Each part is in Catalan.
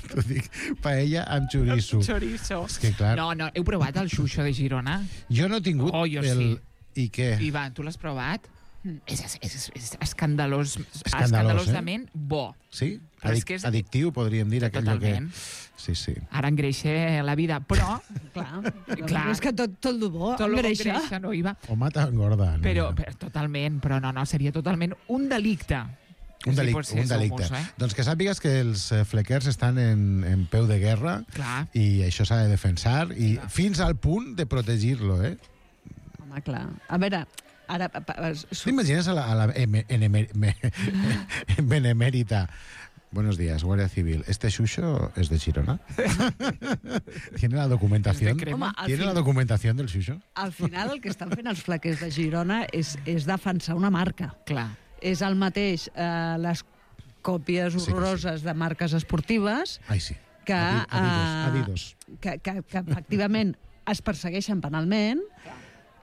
T'ho dic, paella amb xoriço. És que clar... No, heu provat el xuxo de Girona? Jo no he tingut jo sí. I què? Ivan, tu l'has provat? És escandalosament bo. Sí? Addictiu, podríem dir. Totalment. Sí. Ara engreixa la vida, però... Clar. És que tot el bo engreixa. No, Iva. O mata engorda. Però totalment, però no, seria totalment un delicte. Un delicte. Doncs que sàpigues que els flequers estan en peu de guerra. Clar. I això s'ha de defensar i fins al punt de protegir-lo, Home, clar. A veure... Ara, ¿T'imagines a la benemérita? Buenos días, Guardia Civil. ¿Este xuxo es de Girona? ¿Tiene la documentación? ¿Tiene la documentación del xuxo? Al final el que estan fent els flequers de Girona és defensar una marca. Clar. És el mateix les còpies horroroses de marques esportives que efectivament es persegueixen penalment,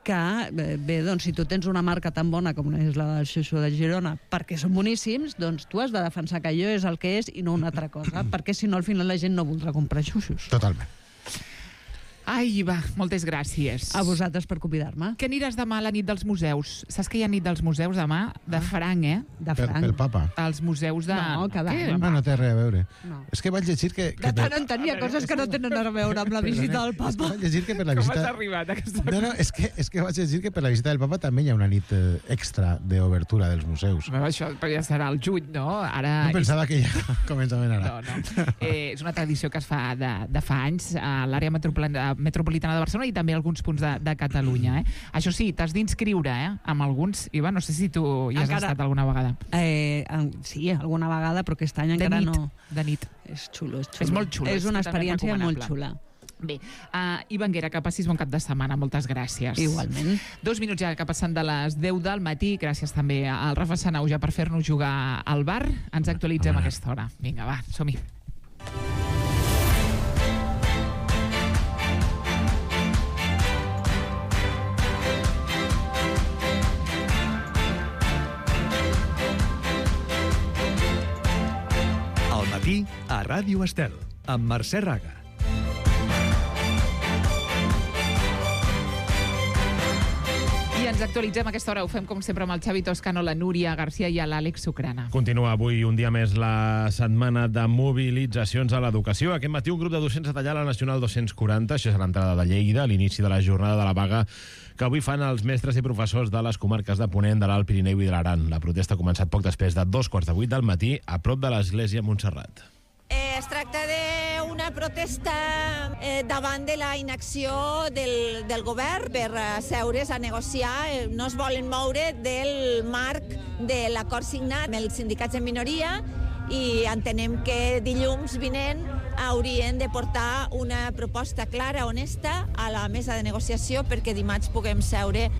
que, bé, doncs, si tu tens una marca tan bona com és la del xuxo de Girona, perquè són boníssims, doncs tu has de defensar que allò és el que és i no una altra cosa, perquè si no al final la gent no voldrà comprar xuxos. Totalment. Ai, va, moltes gràcies. A vosaltres per convidar-me. Que aniràs demà a la nit dels museus? Saps que hi ha nit dels museus demà? De franc, De franc. Pel papa. Els museus de... No, cada any. No té res a veure. És que vaig llegir que... De tant en tant hi ha coses que no tenen a veure amb la visita del papa. És que vaig llegir que per la visita... Com has arribat a aquesta... No, és que vaig llegir que per la visita del papa també hi ha una nit extra d'obertura dels museus. Això ja serà el juny, no? Ara... No pensava que ja començaven ara. No. És una tradició que es fa de fa anys a l'àrea metropolitana de Barcelona i també alguns punts de Catalunya. Això sí, t'has d'inscriure amb alguns. Iva, no sé si tu hi has estat alguna vegada. Sí, alguna vegada, però aquest any encara no. De nit. És xulo. És molt xulo. És una experiència molt xula. Bé, Ivanguera, que passis bon cap de setmana. Moltes gràcies. Igualment. 2 minuts ja que passen de les 10 del matí. Gràcies també al Rafa Sanauja per fer-nos jugar al bar. Ens actualitzem a aquesta hora. Vinga, va, som-hi. A Ràdio Estel, amb Mercè Raga. I ens actualitzem a aquesta hora. Ho fem, com sempre, amb el Xavi Toscano, la Núria Garcia i l'Àlex Sucrana. Continua avui un dia més la setmana de mobilitzacions a l'educació. Aquest matí un grup de docents ha tallat la Nacional 240, això és l'entrada de Lleida, a l'inici de la jornada de la vaga que avui fan els mestres i professors de les comarques de Ponent, de l'Alt Pirineu i de l'Aran. La protesta ha començat poc després de 2:15 del matí a prop de l'església Montserrat. Es tracta d'una protesta davant de la inacció del govern per asseure's a negociar. No es volen moure del marc de l'acord signat amb els sindicats en minoria i entenem que dilluns vinent haurien de portar una proposta clara, honesta, a la mesa de negociació perquè dimarts puguem seure.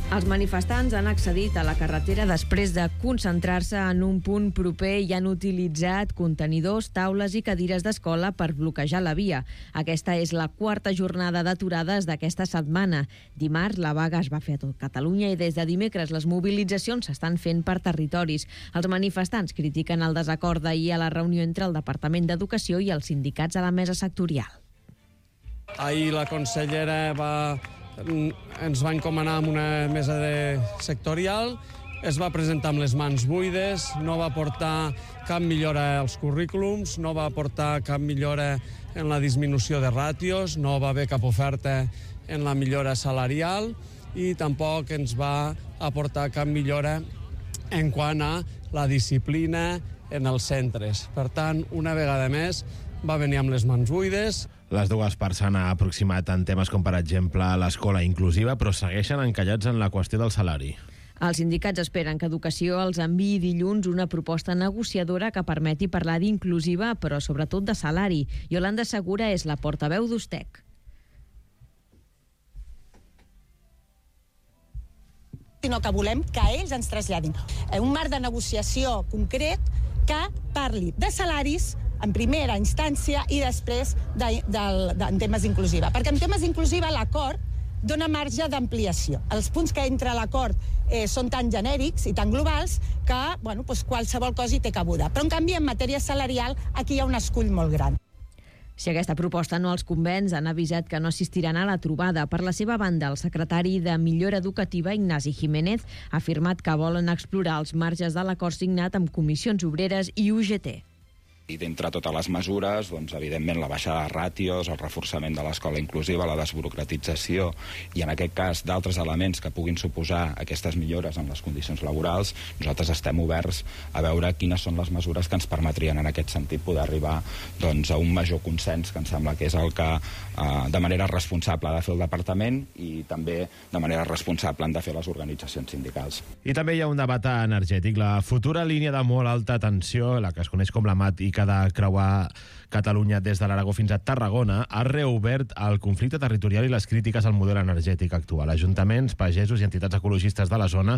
Els manifestants han accedit a la carretera després de concentrar-se en un punt proper i han utilitzat contenidors, taules i cadires d'escola per bloquejar la via. Aquesta és la 4a jornada d'aturades d'aquesta setmana. Dimarts la vaga es va fer a tot Catalunya i des de dimecres les mobilitzacions s'estan fent per territoris. Els manifestants critiquen el desacord d'ahir a la reunió entre el Departament d'Educació i els sindicats a la mesa sectorial. Ahir la consellera ens va encomanar amb una mesa sectorial, es va presentar amb les mans buides, no va portar cap millora als currículums, no va portar cap millora en la disminució de ràtios, no va haver cap oferta en la millora salarial i tampoc ens va aportar cap millora en quant a la disciplina en els centres. Per tant, una vegada més, va venir amb les mans buides. Les dues parts s'han aproximat en temes com, per exemple, l'escola inclusiva, però segueixen encallats en la qüestió del salari. Els sindicats esperen que Educació els enviï dilluns una proposta negociadora que permeti parlar d'inclusiva, però sobretot de salari. Yolanda Segura és la portaveu d'Ustec. Sinó que volem que ells ens traslladin un marc de negociació concret que parli de salaris en primera instància i després en temes inclusiva. Perquè en temes inclusiva l'acord dona marge d'ampliació. Els punts que entra a l'acord són tan genèrics i tan globals que qualsevol cosa hi té cabuda. Però, en canvi, en matèria salarial, aquí hi ha un escull molt gran. Si aquesta proposta no els convenç, han avisat que no assistiran a la trobada. Per la seva banda, el secretari de Millora Educativa, Ignasi Jiménez, ha afirmat que volen explorar els marges de l'acord signat amb Comissions Obreres i UGT. I d'entre totes les mesures, evidentment, la baixada de ràtios, el reforçament de l'escola inclusiva, la desburocratització i, en aquest cas, d'altres elements que puguin suposar aquestes millores en les condicions laborals, nosaltres estem oberts a veure quines són les mesures que ens permetrien, en aquest sentit, poder arribar a un major consens, que em sembla que és el que, de manera responsable, ha de fer el Departament i també, de manera responsable, han de fer les organitzacions sindicals. I també hi ha un debat energètic. La futura línia de molt alta tensió, la que es coneix com la MAT i que ha de creuar Catalunya des de l'Aragó fins a Tarragona, ha reobert el conflicte territorial i les crítiques al model energètic actual. Ajuntaments, pagesos i entitats ecologistes de la zona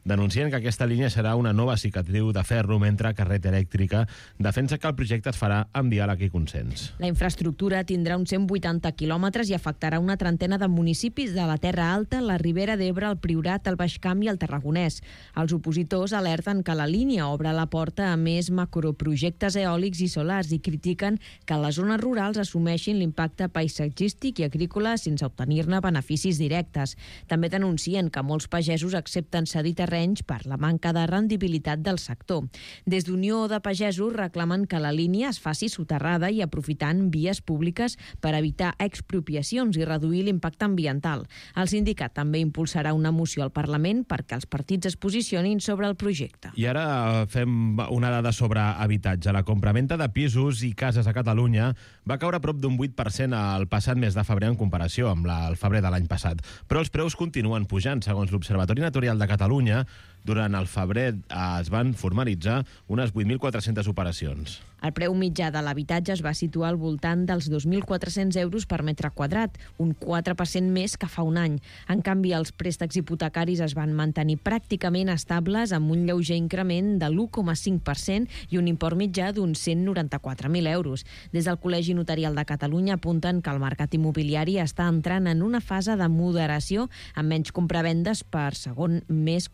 denuncien que aquesta línia serà una nova cicatriu de ferro, mentre Carret Elèctrica defensa que el projecte es farà amb diàleg i consens. La infraestructura tindrà uns 180 quilòmetres i afectarà una trentena de municipis de la Terra Alta, la Ribera d'Ebre, el Priorat, el Baix Camp i el Tarragonès. Els opositors alerten que la línia obre la porta a més macroprojectes eòlics i solars i critiquen que les zones rurals assumeixin l'impacte paisatgístic i agrícola sense obtenir-ne beneficis directes. També denuncien que molts pagesos accepten cedir terrenys per la manca de rendibilitat del sector. Des d'Unió de Pagesos reclamen que la línia es faci soterrada i aprofitant vies públiques per evitar expropiacions i reduir l'impacte ambiental. El sindicat també impulsarà una moció al Parlament perquè els partits es posicionin sobre el projecte. I ara fem una dada sobre habitatge. La compraventa de pisos i cases a Catalunya va caure a prop d'un 8% al passat mes de febrer en comparació amb el febrer de l'any passat. Però els preus continuen pujant. Segons l'Observatori Notarial de Catalunya, durant el febrer es van formalitzar unes 8.400 operacions. El preu mitjà de l'habitatge es va situar al voltant dels 2.400 euros per metre quadrat, un 4% més que fa un any. En canvi, els préstecs hipotecaris es van mantenir pràcticament estables amb un lleuger increment de l'1,5% i un import mitjà d'uns 194.000 euros. Des del Col·legi Notarial de Catalunya apunten que el mercat immobiliari està entrant en una fase de moderació amb menys compravendes per segon mes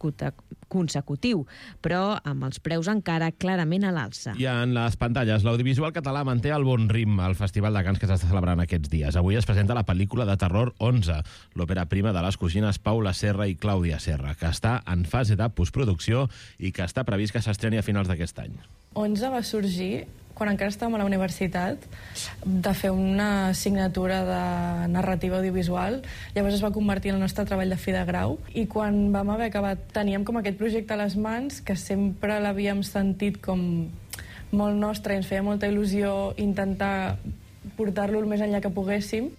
consecutiu, però amb els preus encara clarament a l'alça. I en les pantalles, l'audiovisual català manté el bon ritme al Festival de Cants que s'està celebrant aquests dies. Avui es presenta la pel·lícula de terror 11, l'òpera prima de les cosines Paula Serra i Clàudia Serra, que està en fase de postproducció i que està previst que s'estreni a finals d'aquest any. 11 va sorgir quan encara estàvem a la universitat, de fer una assignatura de narrativa audiovisual. Llavors es va convertir en el nostre treball de fi de grau, i quan vam haver acabat teníem com aquest projecte a les mans, que sempre l'havíem sentit com molt nostre i ens feia molta il·lusió intentar portar-lo el més enllà que poguéssim.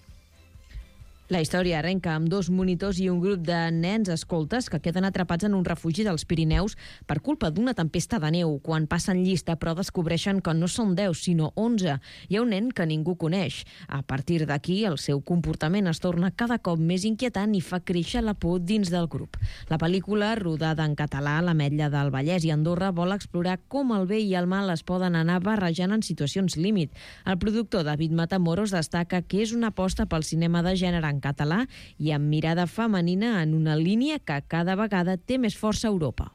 La història arrenca amb 2 monitors i un grup de nens escoltes que queden atrapats en un refugi dels Pirineus per culpa d'una tempesta de neu. Quan passen llista, però descobreixen que no són 10, sinó 11. Hi ha un nen que ningú coneix. A partir d'aquí, el seu comportament es torna cada cop més inquietant i fa créixer la por dins del grup. La pel·lícula, rodada en català a l'Ametlla del Vallès i Andorra, vol explorar com el bé i el mal es poden anar barrejant en situacions límit. El productor David Matamoros destaca que és una aposta pel cinema de gènere en català i amb mirada femenina en una línia que cada vegada té més força a Europa.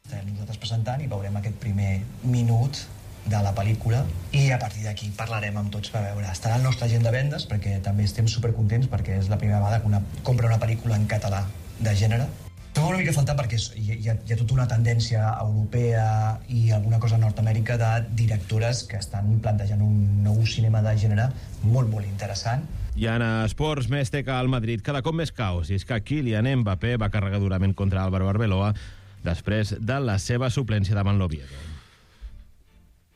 Estarem nosaltres presentant i veurem aquest primer minut de la pel·lícula i a partir d'aquí parlarem amb tots per veure. Estarà al nostre agent de vendes perquè també estem supercontents perquè és la primera vegada que compra una pel·lícula en català de gènere. Trobo una mica a faltar perquè hi ha tota una tendència europea i alguna cosa a Nord-Amèrica de directores que estan plantejant un nou cinema de gènere molt, molt interessant. I en esports, més té que al Madrid cada cop més caos. I és que Kylian Mbappé va carregar durament contra Álvaro Arbeloa després de la seva suplència davant l'Oviedo.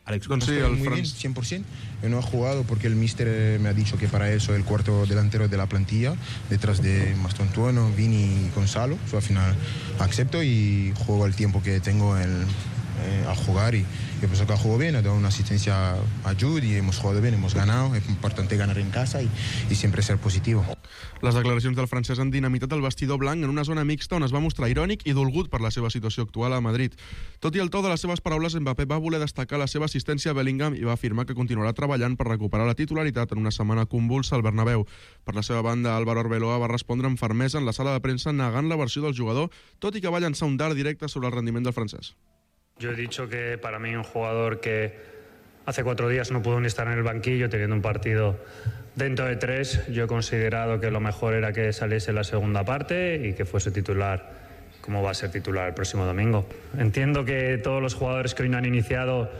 Alex, sí, muy bien, 100%. Yo no he jugado porque el míster me ha dicho que para eso el cuarto delantero de la plantilla, detrás de Mastantuono, Vini y Gonzalo. Al final acepto y juego el tiempo que tengo al jugar y yo pienso que ha jugado bien, ha dado una asistencia a Jude y hemos jugado bien, hemos ganado, es importante ganar en casa y siempre ser positivo. Les declaracions del francès han dinamitat el vestidor blanc en una zona mixta on es va mostrar irònic i dolgut per la seva situació actual a Madrid. Tot i el to de les seves paraules, Mbappé va voler destacar la seva assistència a Bellingham i va afirmar que continuarà treballant per recuperar la titularitat en una setmana convulsa al Bernabéu. Per la seva banda, Álvaro Arbeloa va respondre amb fermesa en la sala de premsa negant la versió del jugador, tot i que va llançar un dard directe sobre el rendiment del francès. Yo he dicho que para mí un jugador que hace 4 días no pudo ni estar en el banquillo teniendo un partido dentro de 3, yo he considerado que lo mejor era que saliese la segunda parte y que fuese titular, como va a ser titular el próximo domingo. Entiendo que todos los jugadores que hoy no han iniciado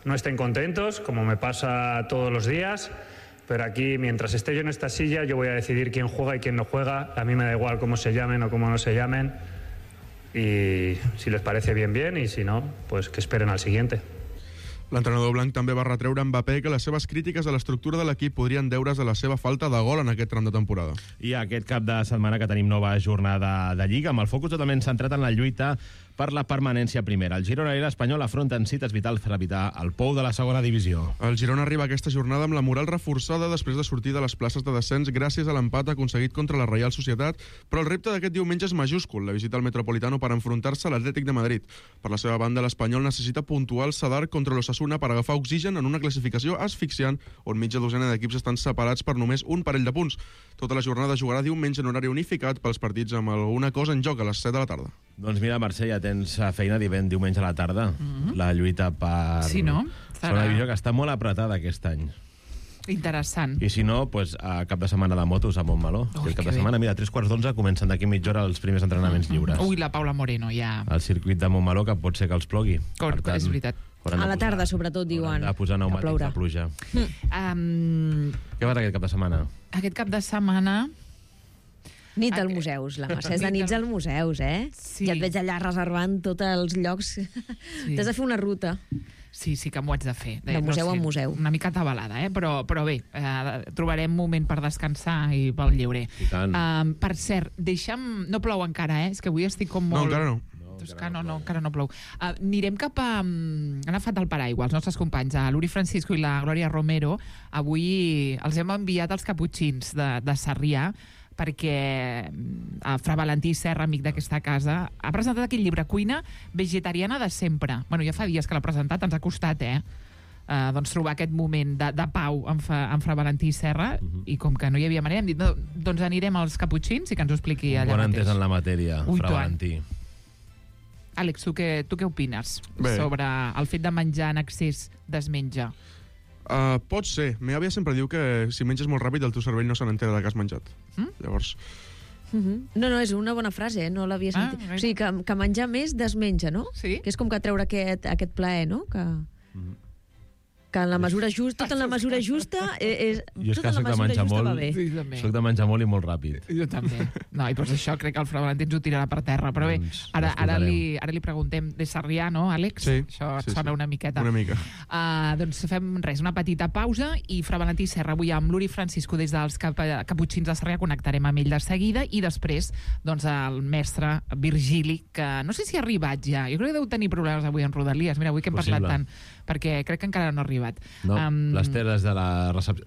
no estén contentos, como me pasa todos los días, pero aquí, mientras esté yo en esta silla, yo voy a decidir quién juega y quién no juega. A mí me da igual cómo se llamen o cómo no se llamen. Y si les parece bien, bien, y si no, pues que esperen al siguiente. L'entrenador blanc també va retreure a Mbappé que les seves crítiques a l'estructura de l'equip podrien deure's a la seva falta de gol en aquest tram de temporada. I aquest cap de setmana que tenim nova jornada de Lliga, amb el focus totalment centrat en la lluita per la permanència primera. El Girona i l'Espanyol afronten cites vitals per evitar el pou de la segona divisió. El Girona arriba a aquesta jornada amb la moral reforçada després de sortir de les places de descens gràcies a l'empat aconseguit contra la Reial Societat, però el repte d'aquest diumenge és majúscul, la visita al Metropolitano per enfrontar-se a l'Atlètic de Madrid. Per la seva banda, l'Espanyol necessita puntuar el Sadar contra l'Osasuna per agafar oxigen en una classificació asfixiant on mitja dosena d'equips estan separats per només un parell de punts. Tota la jornada jugarà diumenge en horari unificat pels partits amb alguna cosa en joc a les 7 de la tarda. Doncs mira, Mercè, ja tens feina diumenge a la tarda. La lluita per... Sí, no? Serà una divisió que està molt apretada aquest any. Interessant. I si no, pues, a cap de setmana de motos a Montmeló. El cap de setmana, mira, a 3:15 comencen d'aquí mitja hora els primers entrenaments lliures. Ui, la Paula Moreno, ja... El circuit de Montmeló, que pot ser que els plogui. És veritat. A la tarda, sobretot, diuen. A posar pneumàtics de pluja. Què vas aquest cap de setmana? Aquest cap de setmana... Nit als museus, la Mercè és de nits als museus, eh? Sí. Ja et veig allà reservant tots els llocs. Sí. T'has de fer una ruta. Sí, que m'ho haig de fer. De museu en museu. Una mica atabalada, però bé, trobarem moment per descansar i pel lleure. I tant. Per cert, deixa'm... No plou encara, És que avui estic com molt... No, encara no. Encara no plou. Anirem cap a... Han agafat el paraigua, els nostres companys, l'Uri Francisco i la Glòria Romero. Avui els hem enviat els caputxins de Sarrià, perquè Fra Valentí Serra, amic d'aquesta casa, ha presentat aquell llibre Cuina vegetariana de sempre. Bueno, ja fa dies que l'ha presentat, ens ha costat, doncs trobar aquest moment de pau amb Fra Valentí Serra, i com que no hi havia manera, hem dit, doncs anirem als caputxins i que ens ho expliqui allà mateix. Quan entès en la matèria, Fra Valentí. Àlex, tu què opines sobre el fet de menjar en excés desmenja? Pot ser. Meva àvia sempre diu que si menges molt ràpid el teu cervell no se n'entera de que has menjat. Llavors... No, és una bona frase, no l'havia sentit. O sigui, que menjar més desmenja, no? Sí. Que és com que treure aquest plaer, no? Que en la mesura justa, tot en la mesura justa, jo és que soc de menjar molt, soc de menjar molt i molt ràpid. Jo també. No, i per això crec que el Fra Valentí ens ho tirarà per terra. Però bé, ara li preguntem de Sarrià, no, Àlex? Sí. Això et sona una miqueta. Una mica. Doncs fem una petita pausa i Fra Valentí Serra avui amb l'Uri Francisco des dels caputxins de Sarrià, connectarem amb ell de seguida, i després doncs el mestre Virgili, que no sé si ha arribat ja. Jo crec que deu tenir problemes avui en Rodalies. Mira, avui que hem parlat tant, perquè crec que encara no ha arribat. No, l'Ester des de la recepció...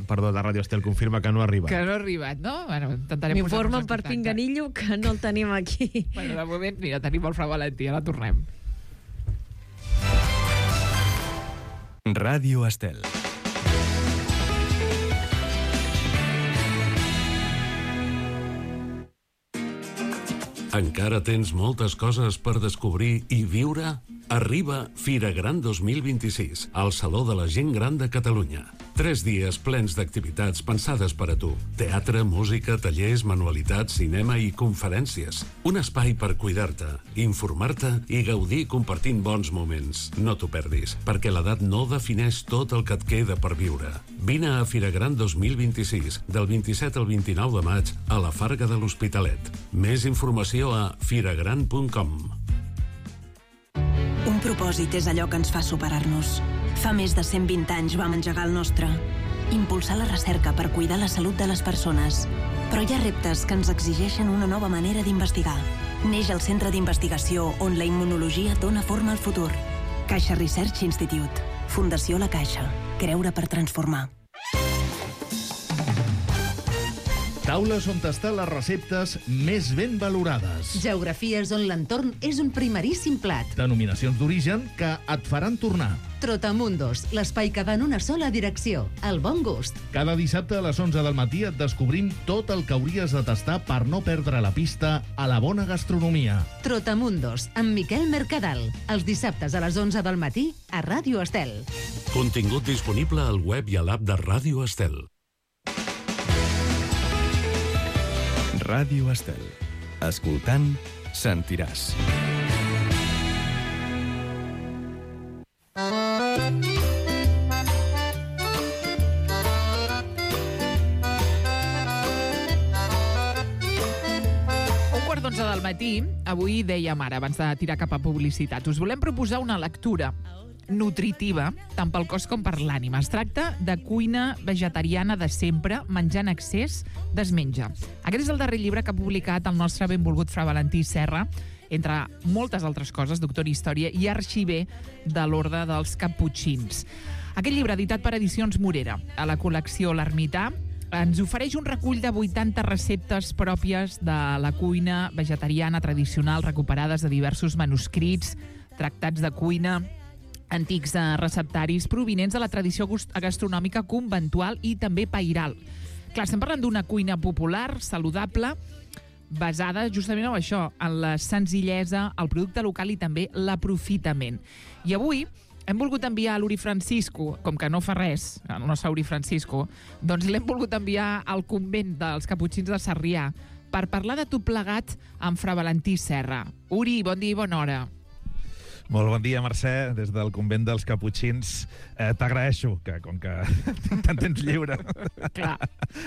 Perdó, de Ràdio Estel confirma que no ha arribat. Que no ha arribat, no? Bueno, intentarem posar-nos en contacte. M'informen per Pinganillo que no el tenim aquí. Bueno, de moment, mira, tenim el Fra Valentí, ara tornem. Ràdio Estel. Encara tens moltes coses per descobrir i viure? Arriba Fira Gran 2026, al Saló de la Gent Gran de Catalunya. 3 dies plens d'activitats pensades per a tu. Teatre, música, tallers, manualitats, cinema i conferències. Un espai per cuidar-te, informar-te i gaudir compartint bons moments. No t'ho perdis, perquè l'edat no defineix tot el que et queda per viure. Vine a Fira Gran 2026, del 27 al 29 de maig, a la Farga de l'Hospitalet. Més informació a firagran.com. Un propòsit és allò que ens fa superar-nos. Fa més de 120 anys vam engegar el nostre. Impulsar la recerca per cuidar la salut de les persones. Però hi ha reptes que ens exigeixen una nova manera d'investigar. Neix el centre d'investigació on la immunologia dona forma al futur. Caixa Research Institute. Fundació La Caixa. Creure per transformar. Taules on tastar les receptes més ben valorades. Geografies on l'entorn és un primeríssim plat. Denominacions d'origen que et faran tornar. Trotamundos, l'espai que va en una sola direcció, el bon gust. Cada dissabte a les 11 del matí et descobrim tot el que hauries de tastar per no perdre la pista a la bona gastronomia. Trotamundos, amb Miquel Mercadal. Els dissabtes a les 11 del matí a Ràdio Estel. Contingut disponible al web i a l'app de Ràdio Estel. Ràdio Estel. Escoltant, sentiràs. Del matí, avui dèiem ara, abans de tirar cap a publicitat, us volem proposar una lectura nutritiva, tant pel cos com per l'ànima. Es tracta de cuina vegetariana de sempre, menjar en excés, desmenja. Aquest és el darrer llibre que ha publicat el nostre benvolgut Fra Valentí Serra, entre moltes altres coses, doctor en Història i arxiver de l'Orde dels Caputxins. Aquest llibre, editat per Edicions Morera, a la col·lecció L'Ermità, ens ofereix un recull de 80 receptes pròpies de la cuina vegetariana tradicional recuperades de diversos manuscrits, tractats de cuina, antics receptaris provinents de la tradició gastronòmica conventual i també pairal. Clar, estem parlant d'una cuina popular, saludable, basada justament en això, en la senzillesa, el producte local i també l'aprofitament. I avui hem volgut enviar a l'Uri Francisco, com que no fa res, el nostre Uri Francisco, doncs l'hem volgut enviar al convent dels Caputxins de Sarrià per parlar de tot plegat amb Fra Valentí Serra. Uri, bon dia i bona hora. Molt bon dia, Mercè, des del convent dels Caputxins. T'agraeixo que, com que te'n tens lliure,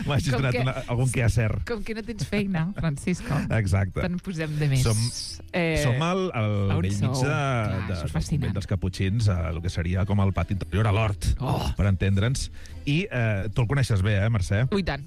m'hagis donat algun quehacer. Com que no tens feina, Francisco. Exacte. Te'n posem de més. Som al vell mig del convent dels Caputxins, el que seria com el pati interior, a l'hort, per entendre'ns. I tu el coneixes bé, Mercè? Ui, tant.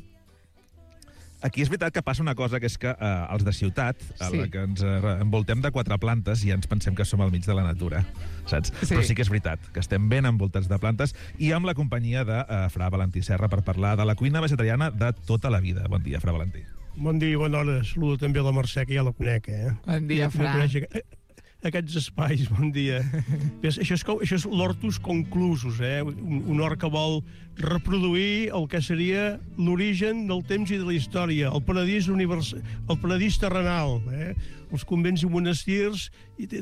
Aquí és veritat que passa una cosa, que és que els de ciutat, a la que ens envoltem de 4 plantes, i ens pensem que som al mig de la natura, saps? Sí. Però sí que és veritat, que estem ben envoltats de plantes, i amb la companyia de Fra Valentí Serra per parlar de la cuina vegetariana de tota la vida. Bon dia, Fra Valentí. Bon dia, bona hora. Saludo també a la Mercè, que ja la conec, Bon dia, Fra. Aquests espais, bon dia. Això és l'hortus conclusus, un hort que vol reproduir el que seria l'origen del temps i de la història, el paradís terrenal. Els convents i monestirs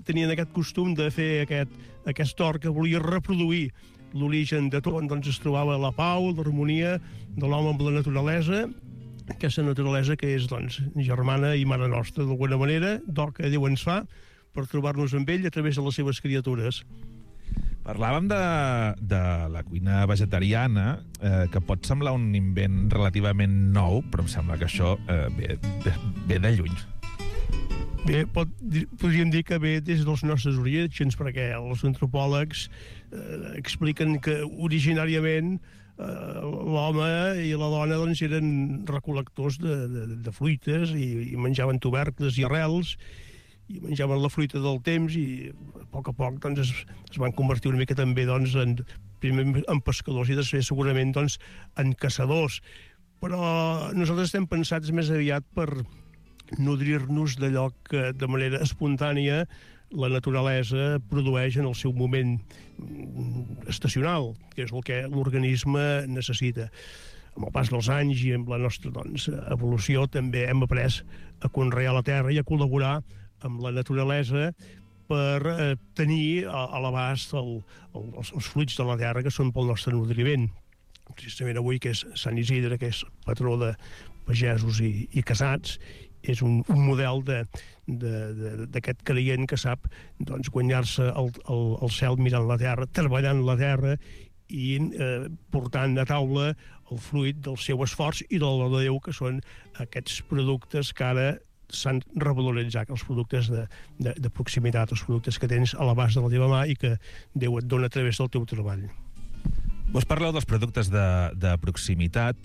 tenien aquest costum de fer aquest hort que volia reproduir l'origen de tot, on es trobava la pau, l'harmonia de l'home amb la naturalesa, aquesta naturalesa que és germana i mare nostra, d'alguna manera, d'hort que Déu ens fa, per trobar-nos amb ell a través de les seves criatures. Parlàvem de la cuina vegetariana, que pot semblar un invent relativament nou, però em sembla que això ve de lluny. Bé, podríem dir que ve des dels nostres orígens, perquè els antropòlegs expliquen que originàriament l'home i la dona eren recol·lectors de fruites i menjaven tubercles i arrels, i menjaven la fruita del temps, i a poc es van convertir una mica també primer en pescadors i després segurament en caçadors. Però nosaltres estem pensats més aviat per nodrir-nos d'allò que de manera espontània la naturalesa produeix en el seu moment estacional, que és el que l'organisme necessita. Amb el pas dels anys i amb la nostra evolució també hem après a conrear la terra i a col·laborar amb la naturalesa per tenir a l'abast els fruits de la terra que són pel nostre nodriment. Precisament avui, que és Sant Isidre, que és patró de pagesos i casats, és un model d'aquest creient que sap guanyar-se el cel mirant la terra, treballant la terra i portant a taula el fruit del seu esforç i del de Déu, que són aquests productes que ara s'han revaloritzat, els productes de proximitat, els productes que tens a l'abast de la teva mà i que Déu et dona a través del teu treball. Vos parleu dels productes de proximitat,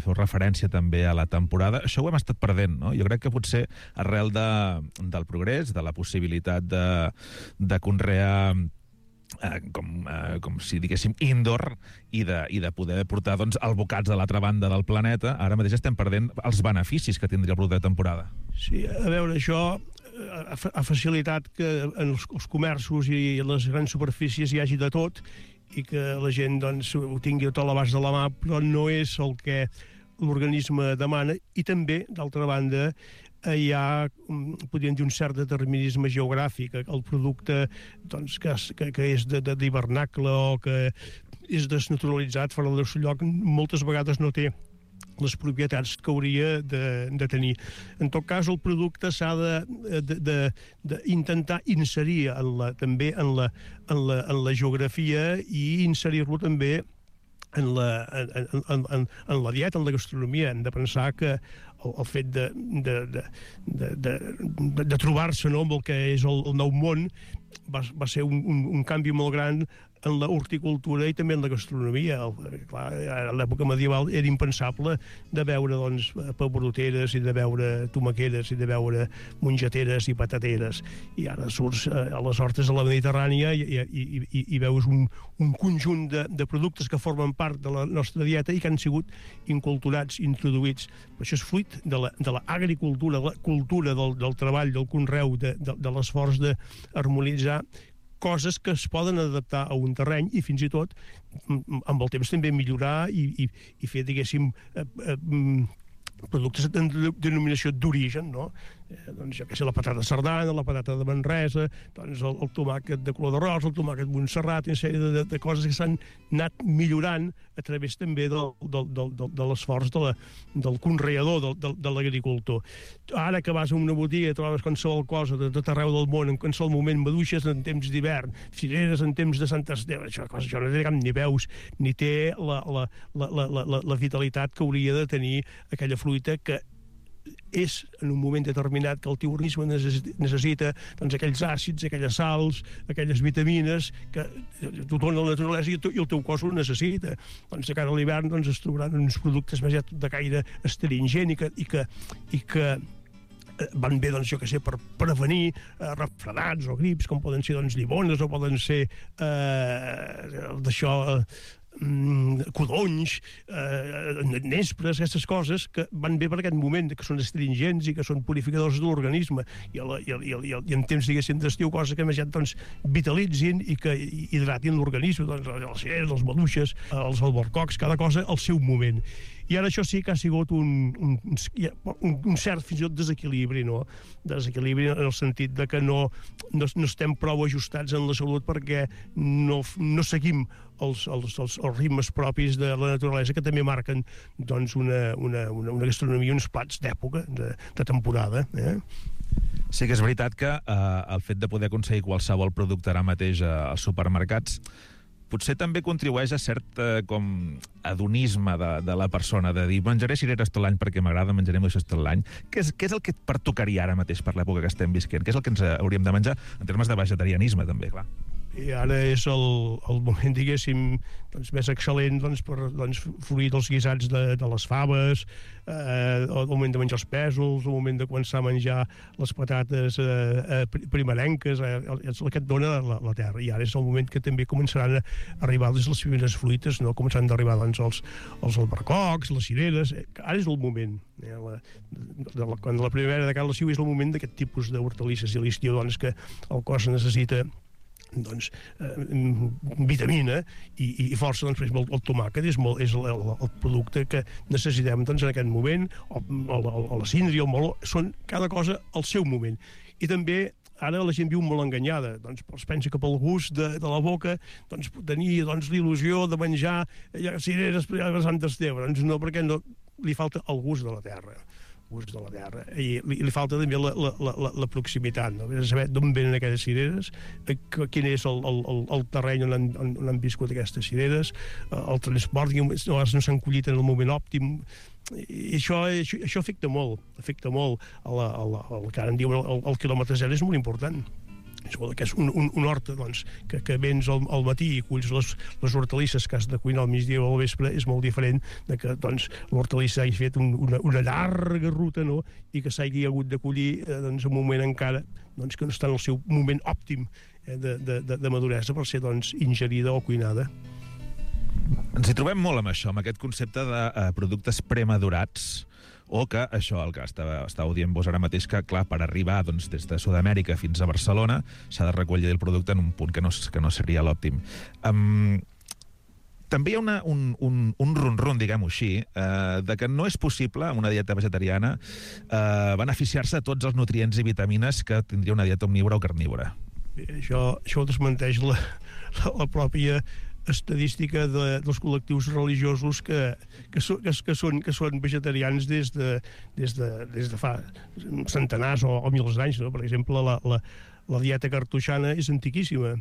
feu referència també a la temporada. Això ho hem estat perdent, no? Jo crec que potser arrel del progrés, de la possibilitat de conrear com si diguéssim indoor i de poder portar albocats a l'altra banda del planeta, ara mateix estem perdent els beneficis que tindria el producte de temporada. Sí, a veure, això ha facilitat que en els comerços i les grans superfícies hi hagi de tot i que la gent ho tingui tot a l'abast de la mà, però no és el que l'organisme demana. I també, d'altra banda, hi ha, podríem dir, un cert determinisme geogràfic. El producte que és d'hivernacle o que és desnaturalitzat fora del seu lloc, moltes vegades no té les propietats que hauria de tenir. En tot cas, el producte s'ha d'intentar inserir també en la geografia i inserir-lo també en la dieta, en la gastronomia. Hem de pensar que el fet de trobar-se amb el que és el nou món va ser un canvi molt gran en la horticultura i també en la gastronomia. Clar, a l'època medieval era impensable de veure pebroteres i de veure tomaqueres i de veure mongeteres i patateres. I ara surts a les hortes de la Mediterrània i veus un conjunt de productes que formen part de la nostra dieta i que han sigut inculturats, introduïts. Però això és fruit de l'agricultura, la cultura del treball, del conreu, de l'esforç d'harmonitzar coses que es poden adaptar a un terreny i fins i tot amb el temps també millorar i fer, diguéssim, productes de denominació d'origen, no? Doncs jo què sé, la patata sardana, la patata de Manresa, doncs el tomàquet de color d'arròs, el tomàquet Montserrat, una sèrie de coses que s'han anat millorant a través també de l'esforç del conreador, de l'agricultor. Ara que vas a una botiga i trobes qualsevol cosa de tot arreu del món, en qualsevol moment, maduixes en temps d'hivern, cireres en temps de Sant Esteve, això no té cap ni veus, ni té la vitalitat que hauria de tenir aquella fruita que és en un moment determinat que el teu organisme necessita aquells àcids, aquelles sals, aquelles vitamines que tothom la naturalesa i el teu cos ho necessita. De cara a l'hivern es trobaran uns productes més de caire astringent i que van bé, jo què sé, per prevenir refredats o grips, com poden ser llimones o poden ser codonys, nespres, aquestes coses que van bé per aquest moment, que són astringents i que són purificadors de l'organisme i en temps, diguéssim, d'estiu, coses que més ja vitalitzin i que hidratin l'organisme, els cireres, les maduixes, els albercocs, cada cosa al seu moment. I ara això sí que ha sigut un cert fins i tot desequilibri, no? Desequilibri en el sentit de que no estem prou ajustats en la salut perquè no seguim els ritmes propis de la naturalesa que també marquen una gastronomia, uns plats d'època, de temporada. Sí que és veritat que el fet de poder aconseguir qualsevol producte ara mateix als supermercats potser també contribueix a cert hedonisme de la persona, de dir, menjaré cireres tot l'any perquè m'agrada, menjarem això tot l'any. Què és el que et pertocaria ara mateix per l'època que estem visquent? Què és el que ens hauríem de menjar en termes de vegetarianisme, també, clar? I ara és el moment, diguéssim, més excel·lent per fruir dels guisats de les faves, el moment de menjar els pèsols, el moment de començar a menjar les patates primerenques, és el que et dona la terra. I ara és el moment que també començaran a arribar les primeres fruites, no? Començaran a arribar els albercocs, les cireres. Ara és el moment. Quan la primavera de cada l'estiu és el moment d'aquest tipus d'hortalisses i a l'estiu que el cos necessita vitamina i força. Per exemple, el tomàquet és el producte que necessitem en aquest moment, o la síndria, el meló, són cada cosa al seu moment. I també ara la gent viu molt enganyada, es pensa que pel gust de la boca tenir l'il·lusió de menjar cireres per Sant Esteve. No, perquè li falta el gust de la terra. I li falta també la proximitat, no? Saber d'on venen aquelles cireres, quin és el terreny on han viscut aquestes cireres, el transport, no s'han collit en el moment òptim. I això afecta molt el que ara en diuen el quilòmetre zero, és molt important. que és un horta que vens al matí i culls les hortalisses que has de cuinar al migdia o al vespre, és molt diferent de que l'hortalissa hagi fet una llarga ruta, no? I que s'hagi hagut de collir en un moment encara que no està en el seu moment òptim de maduresa per ser ingerida o cuinada. Ens hi trobem molt amb això, amb aquest concepte de productes premadurats, o que això, el que estàveu dient vos ara mateix, que clar, per arribar des de Sud-amèrica fins a Barcelona s'ha de recollir el producte en un punt que no seria l'òptim. També hi ha un ronron, diguem-ho així, de que no és possible, amb una dieta vegetariana, beneficiar-se de tots els nutrients i vitamines que tindria una dieta omnívora o carnívora. Això ho desmenteix la pròpia estadística dels col·lectius religiosos que són vegetarians des de fa centenars o milers d'anys, no? Per exemple, la dieta cartoixana és antiquíssima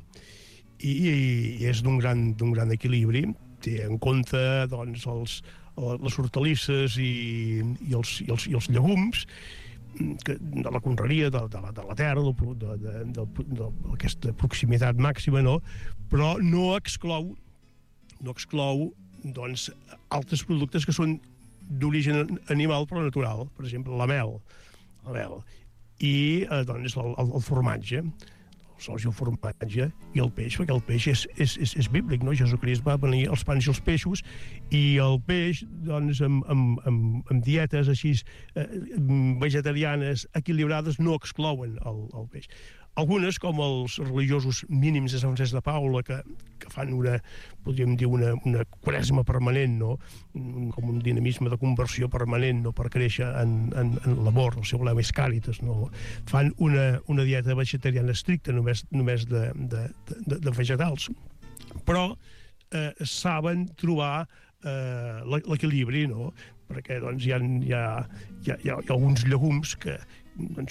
i és d'un gran equilibri. Té en compte les hortalisses i els llegums de la conreria, de la terra, d'aquesta proximitat màxima, no? Però no exclou altres productes que són d'origen animal però natural, per exemple la mel i el formatge, el formatge i el peix, perquè el peix és bíblic, no? Jesucrist va venir els pans i els peixos, i el peix, amb dietes així vegetarianes equilibrades, no exclouen el peix. Algunes, com els religiosos mínims de Sant Francesc de Paula, que fan podríem dir, una quaresma permanent, no? Com un dinamisme de conversió permanent, no? Per créixer en l'amor, el seu lema és Càritas, no? Fan una dieta vegetariana estricta, només de vegetals. Però saben trobar l'equilibri, no? Perquè hi ha alguns llegums que,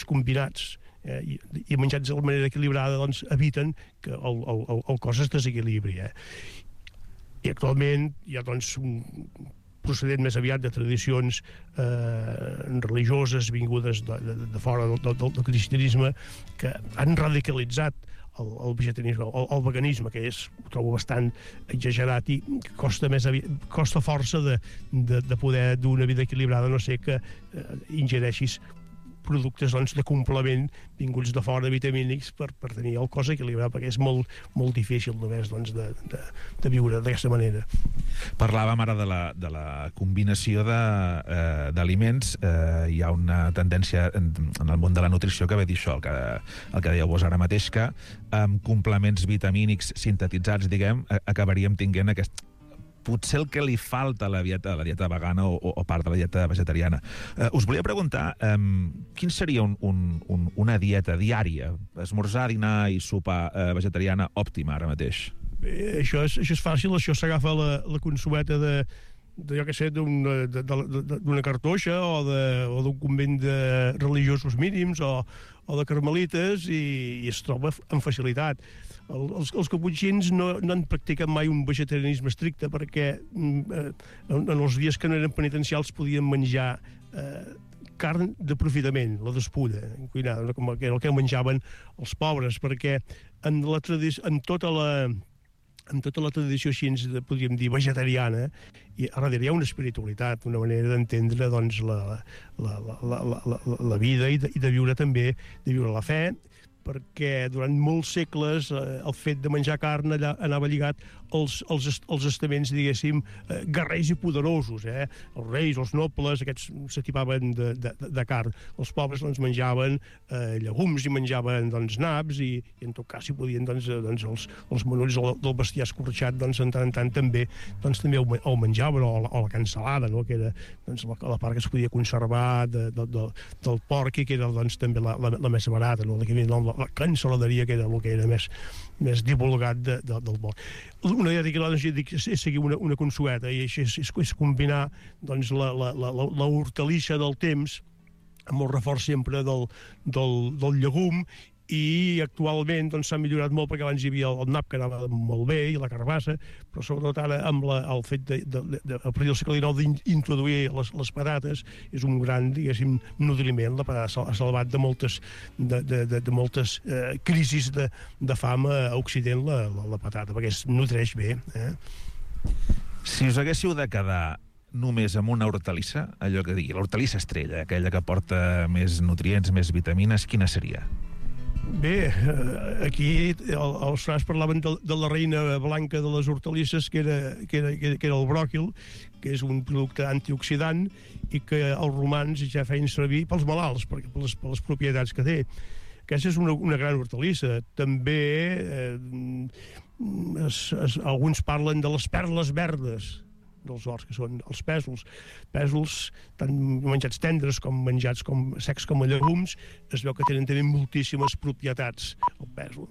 combinats i menjats de manera equilibrada, eviten que el cos es desequilibri. I actualment hi ha un procedent més aviat de tradicions religioses vingudes de fora del cristianisme que han radicalitzat el vegetarianisme, el veganisme, que ho trobo bastant exagerat i costa força de poder dur una vida equilibrada, no sé que ingereixis productes de complement vinguts de fora, vitamínics, per tenir el cos equilibrat, perquè és molt difícil només de viure d'aquesta manera. Parlàvem ara de la combinació d'aliments. Hi ha una tendència en el món de la nutrició que ve dir això, el que dèieu vos ara mateix, que amb complements vitamínics sintetitzats, diguem, acabaríem tinguent potser el que li falta a la dieta vegana o part de la dieta vegetariana. Us volia preguntar quin seria una dieta diària, esmorzar, dinar i sopar vegetariana òptima ara mateix? Això és fàcil, això s'agafa la consueta jo què sé, d'una cartoixa o d'un convent de religiosos mínims o de carmelites i es troba amb facilitat. Els caputxins no han practicat mai un vegetarianisme estricte perquè en els dies que no eren penitencials podien menjar carn d'aprofitament, la despulla, cuinada, com el que menjaven els pobres, perquè en tota la tradició així, podríem dir, vegetariana, i a darrere hi ha una espiritualitat, una manera d'entendre la vida i de viure també, de viure la fe, perquè durant molts segles el fet de menjar carn anava lligat als estaments, diguéssim, guerrers i poderosos. Els reis, els nobles, aquests s'atipaven de carn. Els pobres menjaven llegums i menjaven naps i en tot cas, si podien, els menors del bestiar escorxat, en tant en tant també el menjaven, o la cansalada, que era la part que es podia conservar del porc i que era també la més barata, la cansaladeria, que era el que era més divulgat del món. Una dieta equilibrada és seguir una consueta, i és combinar la hortalissa del temps amb el reforç sempre del llegum i actualment s'ha millorat molt perquè abans hi havia el nap que anava molt bé i la carbassa, però sobretot ara amb el fet a partir del segle XIX d'introduir les patates és un gran, diguéssim, nutriment. La patata ha salvat de moltes crisis de fam a Occident la patata, perquè es nutreix bé. Si us haguéssiu de quedar només amb una hortalissa, allò que digui, l'hortalissa estrella, aquella que porta més nutrients, més vitamines, quina seria? Bé, aquí els frares parlaven de la reina blanca de les hortalisses, que era el bròquil, que és un producte antioxidant i que els romans ja feien servir pels malalts, per les propietats que té. Aquesta és una gran hortalissa. També alguns parlen de les perles verdes dels horts, que són els pèsols. Pèsols, tant menjats tendres com menjats secs com a llegums, es veu que tenen també moltíssimes propietats, el pèsol.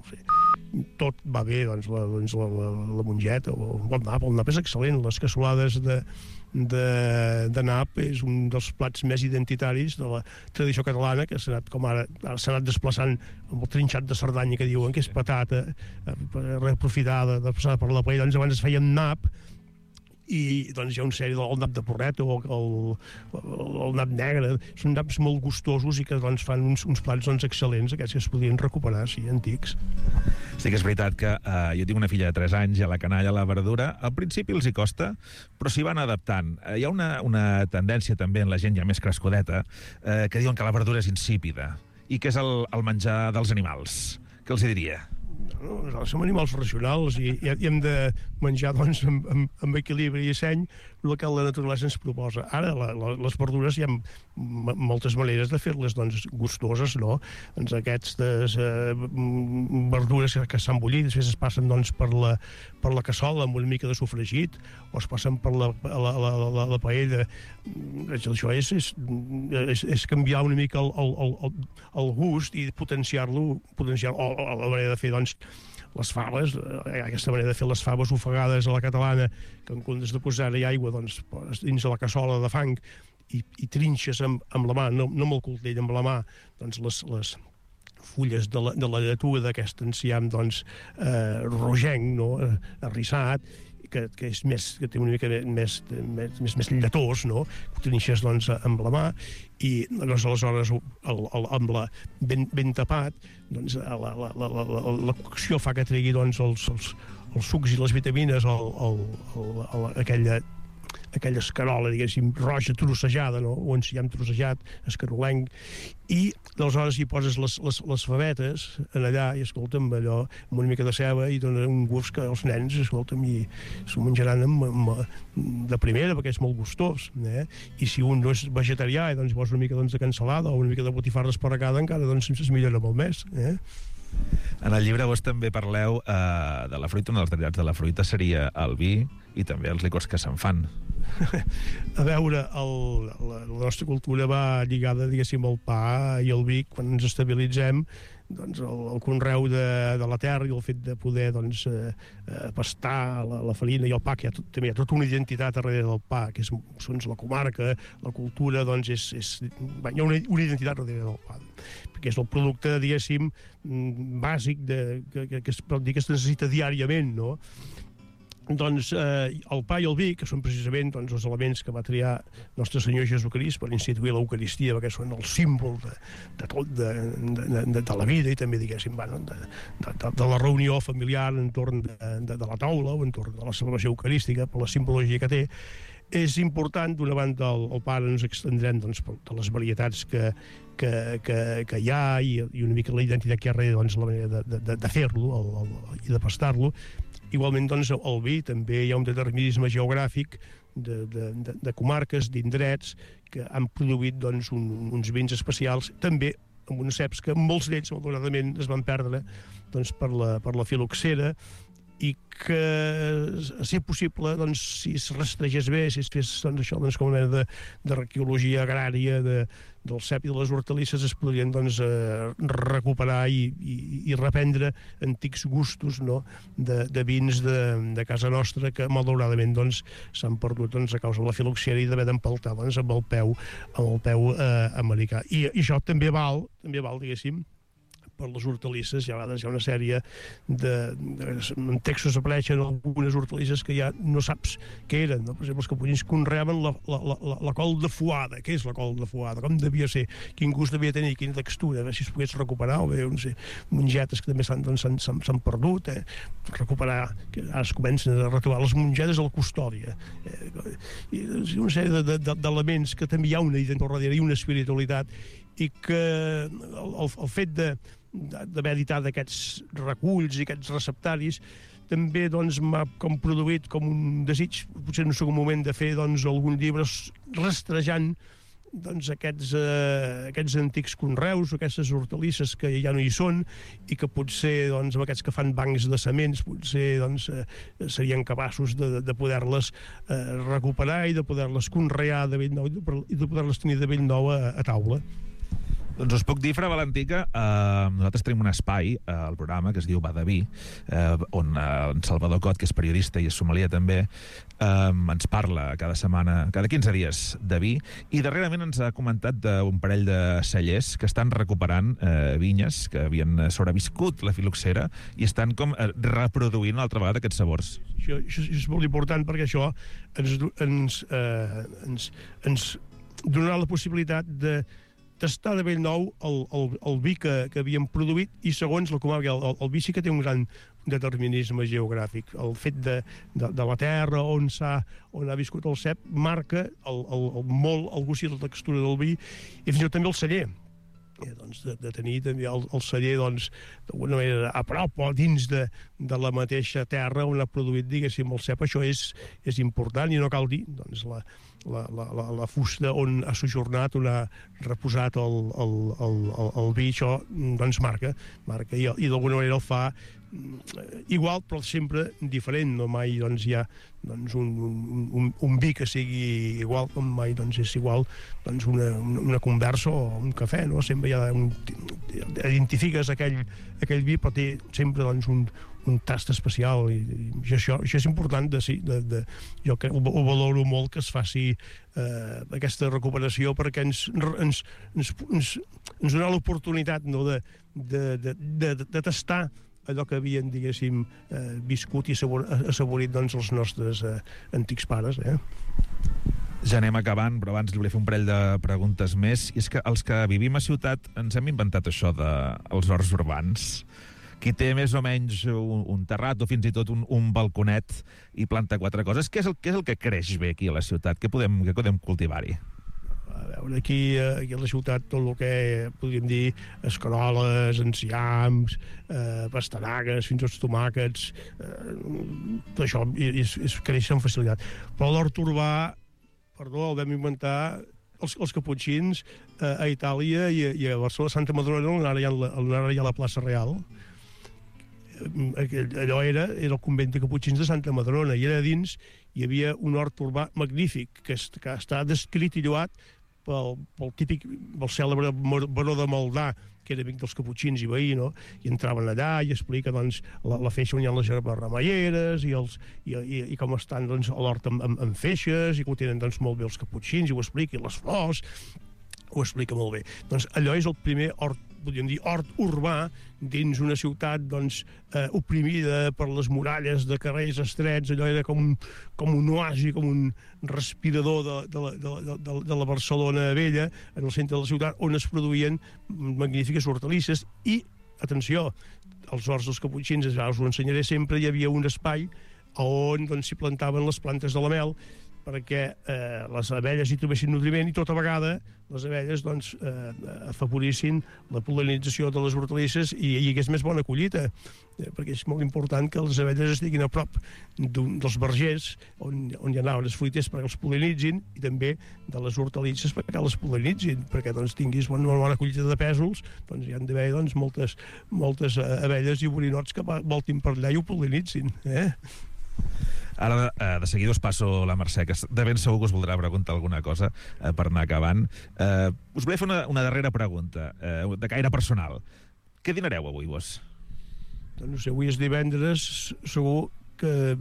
Tot va bé, doncs, la mongeta o el nap és excel·lent. Les cassolades de nap és un dels plats més identitaris de la tradició catalana, que s'ha anat desplaçant amb el trinxat de Cerdanya, que diuen que és patata reaprofitada, passada per la paella. Doncs abans es feia amb nap, i doncs hi ha una sèrie del nap de porreta o el nap negre. Són naps molt gustosos i que doncs fan uns plats excel·lents, aquests que es podien recuperar, sí, antics. Sí que és veritat que jo tinc una filla de 3 anys i a la canalla, a la verdura, al principi els hi costa, però s'hi van adaptant. Hi ha una tendència també en la gent ja més crescudeta que diuen que la verdura és insípida i que és el menjar dels animals. Què els diria? Som animals racionals i hem de menjar amb equilibri i seny el que la naturalesa ens proposa. Ara, les verdures hi ha moltes maneres de fer-les gustoses, no? Doncs aquestes verdures que s'han bullit, després es passen per la cassola amb una mica de sofregit, o es passen per la paella. Això és canviar una mica el gust i potenciar-lo, o la manera de fer, les faves, aquesta manera de fer les faves ofegades a la catalana, que en comptes de posar-hi aigua dins de la cassola de fang i trinxes amb la mà, no amb el coltell, amb la mà, doncs les fulles de la lletuga d'aquest enciam rogenc, arrissat, que té una mica més lletós, no? Ho trinxes amb la mà i aleshores ben tapat, la cocció fa que tregui els sucs i les vitamines aquella escarola, diguéssim, roja trossejada, no? O enciam trossejat, escarolenc, i aleshores hi poses les favetes allà i, escolta'm, allò amb una mica de ceba i dona un gust que els nens, escolta'm, i s'ho menjaran de primera perquè és molt gustós, I si un no és vegetarià i posa una mica de cansalada o una mica de botifarra esparragada, encara es millora molt més, En el llibre vos també parleu de la fruita. Un dels derivats de la fruita seria el vi i també els licors que se'n fan. A veure, la nostra cultura va lligada, diguéssim, al pa i al vi. Quan ens estabilitzem, el conreu de la terra i el fet de poder pastar la farina i el pa, que també hi ha tota una identitat darrere del pa, que és la comarca, la cultura, hi ha una identitat darrere del pa, perquè és el producte, diguéssim, bàsic que es pot dir que es necessita diàriament, no? El pa i el vi, que són precisament els elements que va triar Nostre Senyor Jesucrist per instituir l'Eucaristia, perquè són el símbol de tot, de la vida i també, diguéssim, de la reunió familiar entorn de la taula o entorn de la celebració eucarística, per la simbologia que té. És important, d'una banda, el pa ens extendrem de les varietats que hi ha i una mica la identitat que hi ha darrere, la manera de fer-lo i de pastar-lo. Igualment, el vi, també hi ha un determinisme geogràfic de comarques, d'indrets, que han produït uns vins especials, també amb uns ceps que molts d'ells, malauradament, es van perdre per la filoxera, i que, a ser possible, si es rastregés bé, si es fes això com una mena de arqueologia agrària del cep i de les hortalisses, es podrien recuperar i reprendre antics gustos de vins de casa nostra que, malauradament, s'han perdut a causa de la filoxera i d'haver d'empaltar amb el peu americà. I això també val, diguéssim, per les hortalisses. Hi ha una sèrie en textos apareixen algunes hortalisses que ja no saps què eren, no? Per exemple, els caputxins conreaven la col de fuada. Què és la col de fuada? Com devia ser? Quin gust devia tenir? Quina textura? A veure si es pogués recuperar, o bé, no sé, mongetes que també s'han perdut, recuperar, que ara es comencen a retrobar les mongetes al Custòdia. I una sèrie d'elements que també hi ha una identitat darrere i una espiritualitat, i que el fet d'haver editat aquests reculls i aquests receptaris també m'ha produït com un desig, potser en un segon moment, de fer algun llibre rastrejant aquests antics conreus, aquestes hortalisses que ja no hi són i que potser amb aquests que fan bancs de sements potser serien capaços de poder-les recuperar i de poder-les conrear de bell nou i de poder-les tenir de bell nou a taula. Doncs us puc dir, Fra Valentí, que nosaltres tenim un espai al programa que es diu Va de Vi, on en Salvador Cot, que és periodista i és sommelier també, ens parla cada setmana, cada 15 dies de vi, i darrerament ens ha comentat d'un parell de cellers que estan recuperant vinyes que havien sobreviscut la filoxera i estan com reproduint una altra vegada aquests sabors. Això és molt important perquè això ens donarà la possibilitat de tastar de bell nou el vi que havíem produït, i segons la comarca, el vi sí que té un gran determinisme geogràfic. El fet de la terra on ha viscut el cep marca molt el gust i la textura del vi, i fins i tot també el celler. De tenir també el celler d'alguna manera a prop o dins de la mateixa terra on ha produït, diguéssim, el cep. Això és important, i no cal dir la fusta on ha sojornat, on ha reposat el vi. Això marca i d'alguna manera el fa igual, però sempre diferent. No mai hi ha un vi que sigui igual, com mai és igual una conversa o un cafè, no? Sempre identifiques aquell vi, però té sempre un tast especial, i això és important. Jo ho valoro molt que es faci aquesta recuperació, perquè ens dona l'oportunitat de tastar allò que havien, diguéssim, viscut i assaborit els nostres antics pares. Ja anem acabant, però abans li volia fer un parell de preguntes més. I és que els que vivim a ciutat ens hem inventat això dels horts urbans. Qui té més o menys un terrat o fins i tot un balconet i planta 4 coses, què és el que creix bé aquí a la ciutat? Què podem cultivar-hi? A veure, aquí a la ciutat tot el que podríem dir escaroles, enciams, pastanagues, fins als tomàquets, tot això creix amb facilitat. Però l'hort urbà, el vam inventar els caputxins a Itàlia i a Barcelona, Santa Madrona, on ara hi ha la plaça Real. Allò era el convent de caputxins de Santa Madrona, i allà dins hi havia un hort urbà magnífic que està descrit i lloat pel cèlebre baró de Maldà, que era amic dels caputxins i veí, no? I entraven allà i explica la feixa on hi ha les herbes remeieres i com estan l'hort amb feixes, i que ho tenen molt bé els caputxins, i ho explica, i les flors, ho explica molt bé. Allò és el primer hort, podríem dir, hort urbà dins una ciutat oprimida per les muralles de carrers estrets. Allò era com un oasi, com un respirador de la Barcelona vella, en el centre de la ciutat, on es produïen magnífiques hortalisses. I, atenció, als horts dels caputxins, us ho ensenyaré sempre, hi havia un espai on s'hi plantaven les plantes de la mel, perquè les abelles hi trobessin nutriment, i tota vegada les abelles afavorissin la pol·linització de les hortalisses i hi hagués més bona collita, perquè és molt important que les abelles estiguin a prop dels vergers on hi anaven les fruites perquè els pol·linitzin, i també de les hortalisses perquè les pol·linitzin, perquè tinguis una bona collita de pèsols. Hi han d'haver moltes abelles i borinots que voltin per allà i ho pol·linitzin. Ara, de seguida us passo la Mercè, que de ben segur que us voldrà preguntar alguna cosa per anar acabant. Us volia fer una darrera pregunta, de caire personal. Què dinareu avui, vos? No sé, avui és divendres, segur que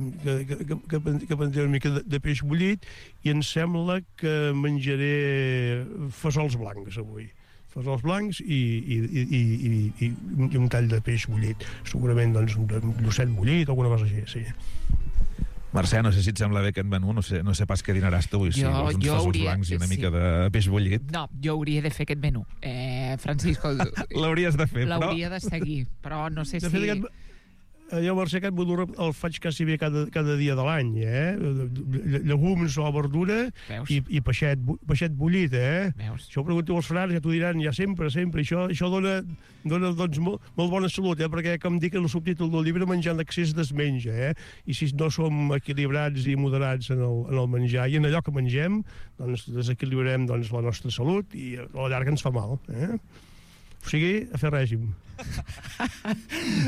prendré una mica de peix bullit, i em sembla que menjaré fesols blancs avui. fesols blancs i un tall de peix bullit. Segurament, doncs, un llucet bullit o alguna cosa així, sí. Mercè, no sé si et sembla bé aquest menú, no sé pas què dinaràs tu, si vols uns fesols blancs i una mica de peix bullit. No, jo hauria de fer aquest menú. Francisco... L'hauries de fer, però... L'hauria de seguir, però no sé si... Jo, Mercè, aquest menú el faig quasi bé cada dia de l'any, llegums o verdura i peixet bullit, Això ho pregunto als frares, ja t'ho diran, ja sempre. Això dona doncs, molt bona salut, perquè, com dic en el subtítol del llibre, menjar en excés desmenja, i si no som equilibrats i moderats en el menjar i en allò que mengem, doncs desequilibrem la nostra salut i a la llarga ens fa mal, O sigui, a fer règim.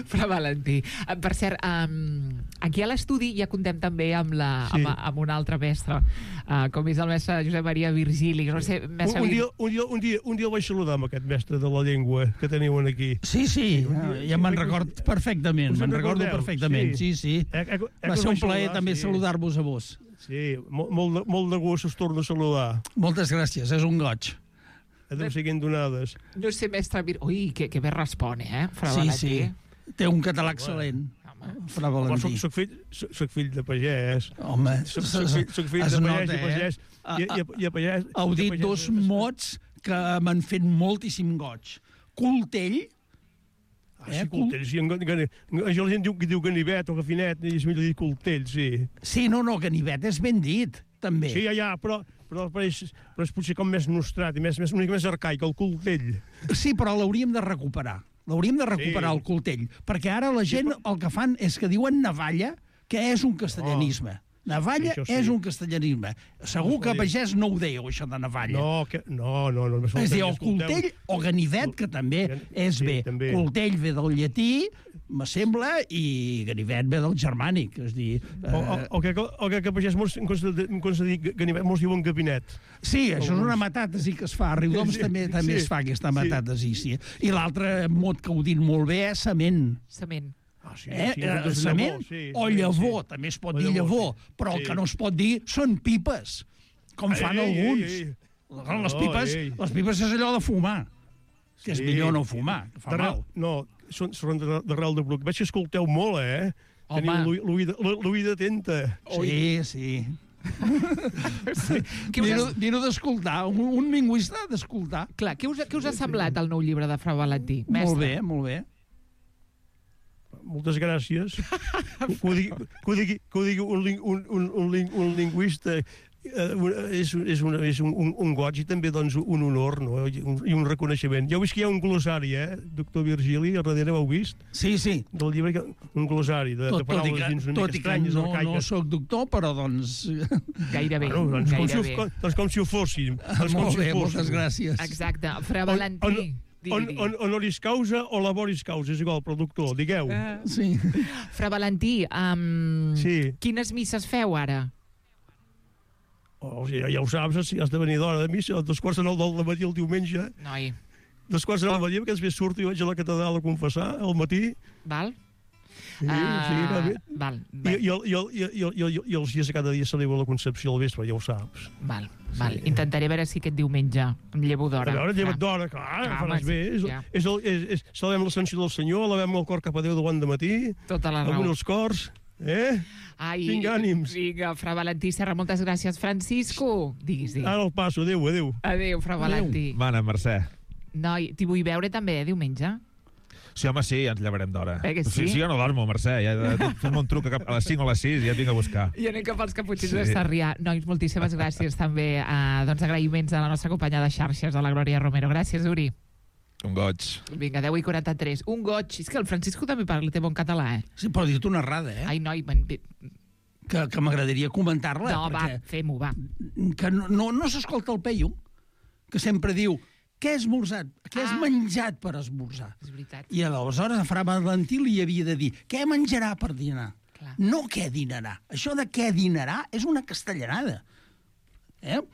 Fra Valentí. Per cert, aquí a l'estudi ja contem també amb un altre mestre, com és el mestre Josep Maria Virgili. No sé, un dia el vaig saludar amb aquest mestre de la llengua que teniu aquí. Sí, ja me'n record perfectament. Me'n recordo perfectament, sí. Va ser un plaer també saludar-vos a vos. Sí, molt de gust us torno a saludar. Moltes gràcies, és un goig. Adéu siguin donades. No sé, mestre... Ui, que bé respon, Fra Valentí. Sí. Té un català excel·lent, Fra Valentí. Soc fill de pagès. Home, soc fill de pagès i pagès. Heu dit dos mots que m'han fet moltíssim goig. Coltell. Sí, coltell, sí. Això la gent diu ganivet o gafinet, i es millor dir coltell, sí. Sí, no, ganivet és ben dit, també. Sí, ja, però és potser com més nostrat i una mica més arcaic, el coltell. Sí, però l'hauríem de recuperar. El coltell. Perquè ara la gent el que fan és que diuen navalla, que és un castellanisme. Navalla és un castellanisme. Segur que a pagès no ho dèieu, això de navalla. No. Es diu coltell o ganivet, que també és bé. Coltell ve del llatí, me sembla, i ganivet ve del germànic, és dir... O que a pagès molts diuen gabinet. Sí, això és una metàtesi que es fa. A Riudoms també es fa aquesta metàtesi, sí. I l'altre mot que ho dit molt bé és sement. Sement. Sement o llavor, també es pot dir llavor, però el que no es pot dir són pipes, com fan alguns. Les pipes és allò de fumar, que és millor no fumar, que fa mal. No, són d'arrel de bruc. Veig que escolteu molt, Teniu l'oïda atenta. Sí. Vino d'escoltar, un lingüista d'escoltar. Clar, què us ha semblat el nou llibre de Fra Valentí? Molt bé. Moltes gràcies. Que ho digui un lingüista és un goig i també doncs, un honor, no? I un reconeixement. Ja heu vist que hi ha un glossari, doctor Virgili, a darrere ho heu vist? Sí. Del llibre, un glossari de paraules dins una mica estranyes, arcaiques. No soc doctor, però doncs... Gairebé. Doncs com si ho fóssim. Molt bé, moltes gràcies. Exacte. Fra Valentí. Honoris causa o laboris causa, és igual, productor, digueu. Sí. Fra Valentí, quines misses feu ara? Ja ho saps, si has de venir d'hora de missa, a 2:15 del matí el diumenge. Noi. 2:15 del matí, perquè després surto i vaig a la catedral a confessar, al matí. Val. Val. I els dies de cada dia celebro la Concepció al vespre, ja ho saps. Val. Intentaré veure si aquest diumenge em llevo d'hora. A veure, lleva't d'hora, clar, faràs bé. Celebrem l'Ascensió del Senyor, elevem el cor cap a Déu de bon dematí. Tota la raó. Alguns els cors, Vinga, ànims. Vinga, Fra Valentí Serra, moltes gràcies. Francisco, diguis. Ara el passo, adéu. Adéu, Fra Valentí. Mana, Mercè. Noi, t'hi vull veure també, diumenge? Sí, home, sí, ens llevarem d'hora. Sí, jo no dormo, Mercè. Fem un truc a les 5 o les 6 i ja et vinc a buscar. I anem cap als caputxins de Sarrià. Nois, moltíssimes gràcies també. Agraïments a la nostra companya de xarxes, a la Glòria Romero. Gràcies, Uri. Un goig. Vinga, 10:43. Un goig. És que el Francisco també té bon català, Sí, però dir-te una errada, Ai, noi, que m'agradaria comentar-la. No, va, fem-ho, va. Que no s'escolta el Peyu, que sempre diu què has esmorzat? Què has menjat per esmorzar? És veritat. I aleshores a Fra Valentí li havia de dir què menjarà per dinar? Clar. No què dinarà. Això de què dinarà és una castellanada.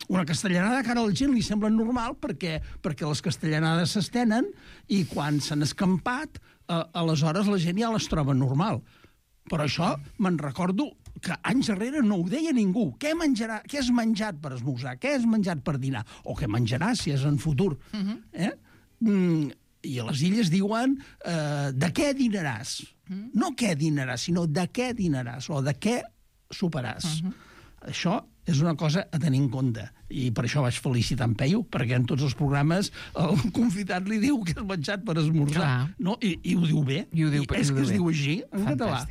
Una castellanada que ara a la gent li sembla normal perquè les castellanades s'estenen i quan s'han escampat, aleshores la gent ja les troba normal. Però això me'n recordo que anys darrere no ho deia ningú. Què menjarà? Què has menjat per esmorzar? Què has menjat per dinar? O què menjarà si és en futur? I a les illes diuen de què dinaràs. No què dinaràs, sinó de què dinaràs o de què soparàs. Això és una cosa a tenir en compte. I per això vaig felicitar en Peyu, perquè en tots els programes el convidat li diu que has menjat per esmorzar. No? I ho diu bé. És que es diu així, en català.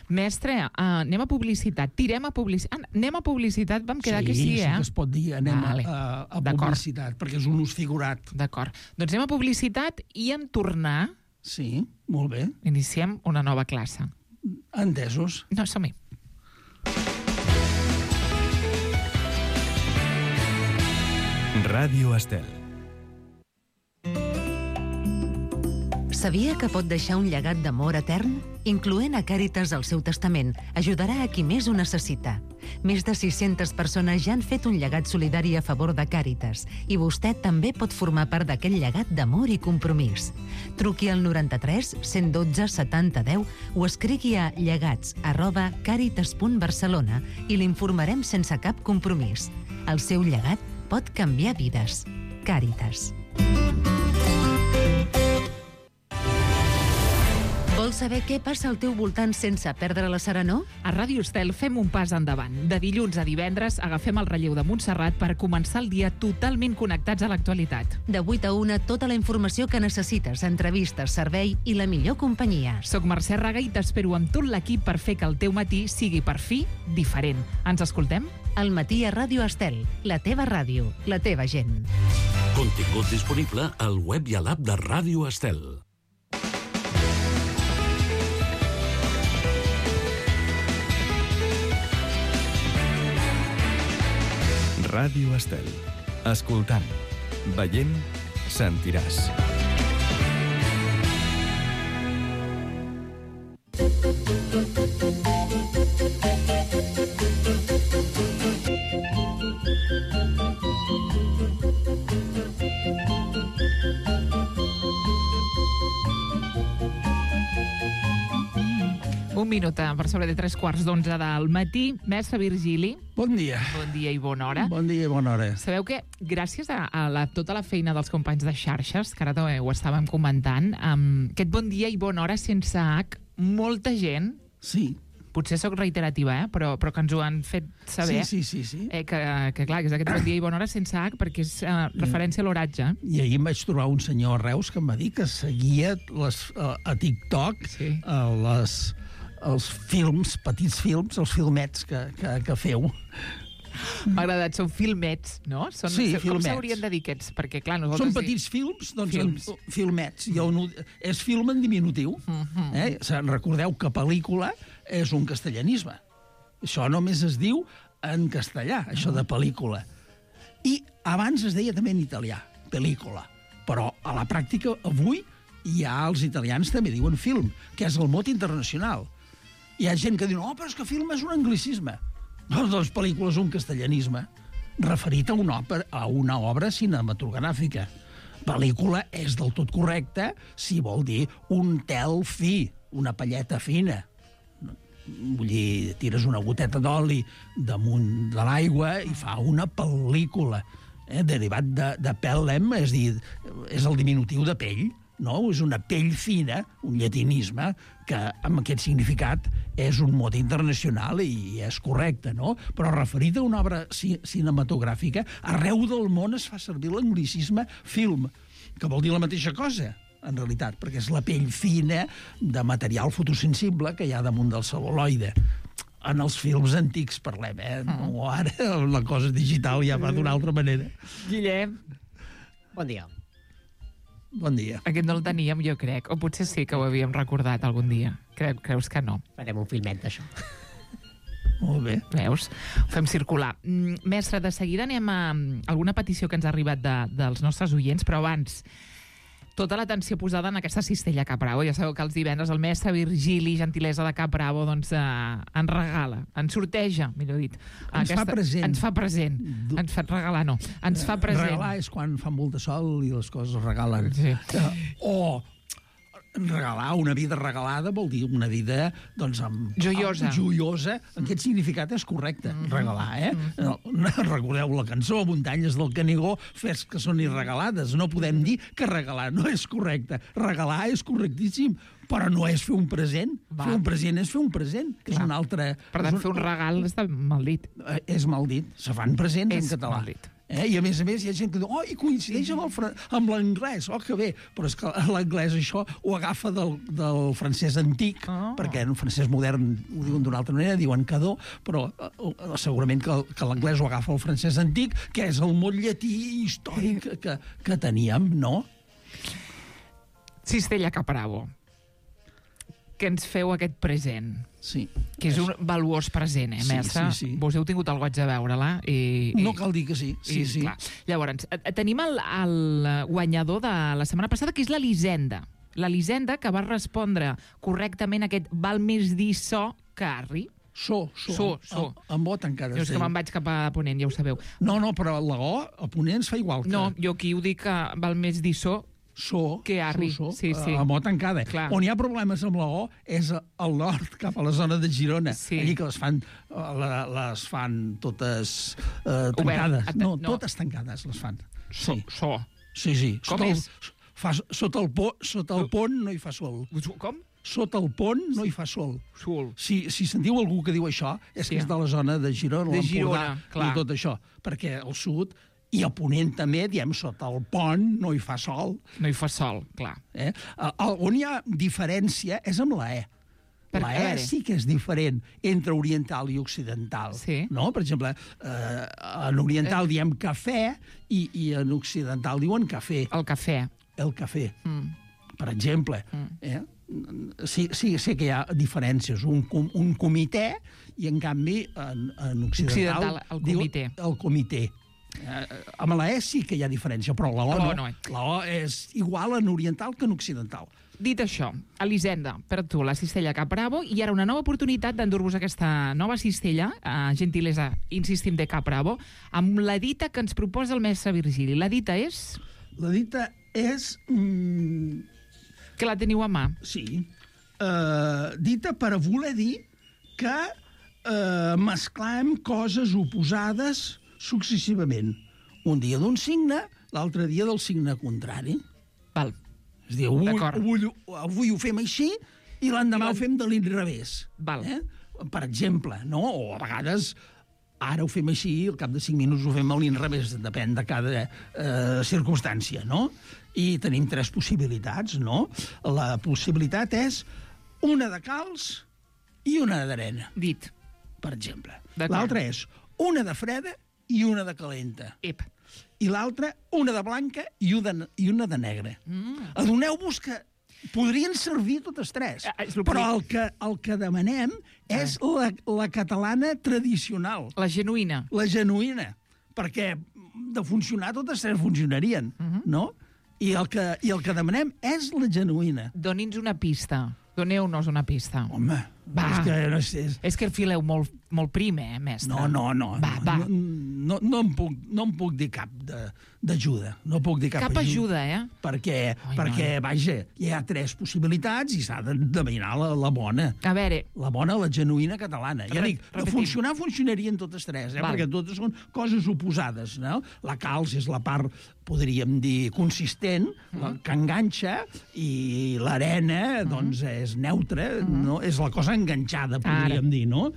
Mestre, anem a publicitat. Tirem a publicitat. Anem a publicitat, vam quedar que sí, Sí, que es pot dir, anem a publicitat, perquè és un ús figurat. D'acord. Doncs anem a publicitat i en tornar... Sí, molt bé. Iniciem una nova classe. Entesos. No, som-hi. Ràdio Estel. Sabia que pot deixar un llegat d'amor etern? Incloent a Càritas al seu testament, ajudarà a qui més ho necessita. Més de 600 persones ja han fet un llegat solidari a favor de Càritas i vostè també pot formar part d'aquest llegat d'amor i compromís. Truqui al 93 112 70 10 o escrigui a llegats@caritas.barcelona i l'informarem sense cap compromís. El seu llegat pot canviar vides. Càritas. Vols saber què passa al teu voltant sense perdre la serenor? A Ràdio Estel fem un pas endavant. De dilluns a divendres agafem el relleu de Montserrat per començar el dia totalment connectats a l'actualitat. De 8 a 1, tota la informació que necessites, entrevistes, servei i la millor companyia. Soc Mercè Raga i t'espero amb tot l'equip per fer que el teu matí sigui per fi diferent. Ens escoltem? Al matí a Ràdio Estel, la teva ràdio, la teva gent. Contingut disponible al web i a l'app de Ràdio Estel. Ràdio Estel. Escoltant, veient, sentiràs. Un minut per sobre de 3:15 del matí. Mestre Virgili. Bon dia. Bon dia i bona hora. Bon dia i bona hora. Sabeu que gràcies a tota la feina dels companys de xarxes, que ara també ho estàvem comentant, aquest bon dia i bona hora sense H, molta gent... Sí. Potser sóc reiterativa, però que ens ho han fet saber. Sí. Que clar, que és aquest bon dia i bona hora sense H, perquè és referència a l'oratge. I ahir em vaig trobar un senyor a Reus que em va dir que seguia a TikTok els films, petits films, els filmets que feu. M'ha agradat, són filmets, no? Sí, filmets. Com s'haurien de dir aquests? Perquè, clar, són petits films, doncs filmets. És film en diminutiu. Recordeu que pel·lícula és un castellanisme. Això només es diu en castellà, això de pel·lícula. I abans es deia també en italià, pel·lícula. Però a la pràctica, avui, ja els italians també diuen film, que és el mot internacional. Hi ha gent que diu, no, però és que film és un anglicisme. Doncs pel·lícula és un castellanisme referit a una obra cinematogràfica. Pel·lícula és del tot correcte si vol dir un tel fi, una palleta fina. Vull dir, tires una goteta d'oli damunt de l'aigua i fa una pel·lícula. Derivat de pellem, és dir, és el diminutiu de pell. No? És una pell fina, un llatinisme, que amb aquest significat és un mot internacional i és correcte, no? Però referit a una obra cinematogràfica, arreu del món es fa servir l'anglicisme film, que vol dir la mateixa cosa, en realitat, perquè és la pell fina de material fotosensible que hi ha damunt del cel·luloide. En els films antics parlem, No, ara la cosa digital ja va d'una altra manera. Guillem. Bon dia. Bon dia. Aquest no el teníem, jo crec. O potser sí que ho havíem recordat algun dia. Creus que no? Farem un filmet d'això. Molt bé. Veus? Ho fem circular. Mestre, de seguida anem a alguna petició que ens ha arribat dels nostres oients, però abans, tota l'atenció posada en aquesta cistella Cap Bravo. Ja sabeu que els divendres el mestre Virgili, gentilesa de Cap Bravo, doncs ens regala, ens sorteja, millor dit. Ens fa present. Ens fa present. Ens fa regalar, no. Ens fa present. Regalar és quan fa molt de sol i les coses es regalen. Sí. regalar, una vida regalada vol dir una vida, doncs, joiosa. Aquest significat és correcte, regalar, Recordeu la cançó, Muntanyes del Canigó, fes que són irregalades. No podem dir que regalar no és correcte. Regalar és correctíssim, però no és fer un present. Fer un present és fer un present, que és un altre... Per tant, fer un regal està mal dit. És mal dit. Se fan presents en català. Mal dit. I a més hi ha gent que diu i coincideix amb l'anglès, que bé, però és que l'anglès això ho agafa del francès antic, perquè en francès modern ho diuen d'una altra manera, diuen cadó, però segurament que l'anglès ho agafa el francès antic, que és el mot llatí històric que teníem, no? Cistella Caprabo, que ens feu aquest present. Sí. Que és un valuós present, mestre? Sí. Vos heu tingut el goig de veure-la? No cal dir que sí. Sí. Clar. Llavors, tenim el guanyador de la setmana passada, que és l'Elisenda. L'Elisenda, que va respondre correctament a aquest val més dir so que arri. So. Amb O tancada. Jo és que me'n vaig cap a Ponent, ja ho sabeu. No, però la O a Ponent es fa igual que... No, jo aquí ho dic que val més dir so que arri. Sí. Amb O tancada. Clar. On hi ha problemes amb la O és al nord, cap a la zona de Girona. Sí. Allí que les fan totes tancades. No, totes tancades les fan. So. Sí. Com és? Sota el pont no hi fa sol. Com? Sota el pont no hi fa sol. Si sentiu algú que diu això, és que és de la zona de Girona, l'Empordà i tot això. Perquè al sud... I a Ponent també, diem, sota el pont no hi fa sol. No hi fa sol, clar. On hi ha diferència és amb la E. La E sí que és diferent entre oriental i occidental. No? Per exemple, en oriental diem cafè i en occidental diuen cafè. El cafè. El cafè, per exemple. Sí que hi ha diferències. Un comitè i, en canvi, en occidental el comitè. El comitè. Amb la E sí que hi ha diferència, però la O no. La O és igual en oriental que en occidental. Dit això, Elisenda, per tu, la cistella Caprabo, i ara una nova oportunitat d'endur-vos aquesta nova cistella, gentilesa, insistim, de Caprabo, amb la dita que ens proposa el mestre Virgili. La dita és? La dita és... Que la teniu a mà. Sí. Dita per voler dir que mesclem coses oposades successivament. Un dia d'un signe, l'altre dia del signe contrari. Val. És a dir, avui ho fem així i l'endemà ho fem de l'inrevés. Val. Per exemple, no? O a vegades ara ho fem així i al cap de 5 minuts ho fem a l'inrevés, depèn de cada circumstància, no? I tenim 3 possibilitats, no? La possibilitat és una de calç i una d'arena. Dit. Per exemple. L'altra és una de freda i una de calenta. I l'altra, una de blanca i una de negra. Adoneu-vos que podrien servir totes 3, però el que demanem és la catalana tradicional. La genuïna. La genuïna, perquè de funcionar totes 3 funcionarien, no? I el que demanem és la genuïna. Doni'ns una pista. Doneu-nos una pista. Home, és que el fileu molt prim, mestre? No. No em puc dir cap d'ajuda. No puc dir cap ajuda, Perquè, vaja, hi ha 3 possibilitats i s'ha d'endevinar la bona. A veure... La bona, la genuïna catalana. Ja dic, de funcionar, funcionarien totes 3, perquè totes són coses oposades, no? La calç és la part, podríem dir, consistent, que enganxa, i l'arena, doncs, és neutra, no? És la cosa enganxada, podríem dir, no?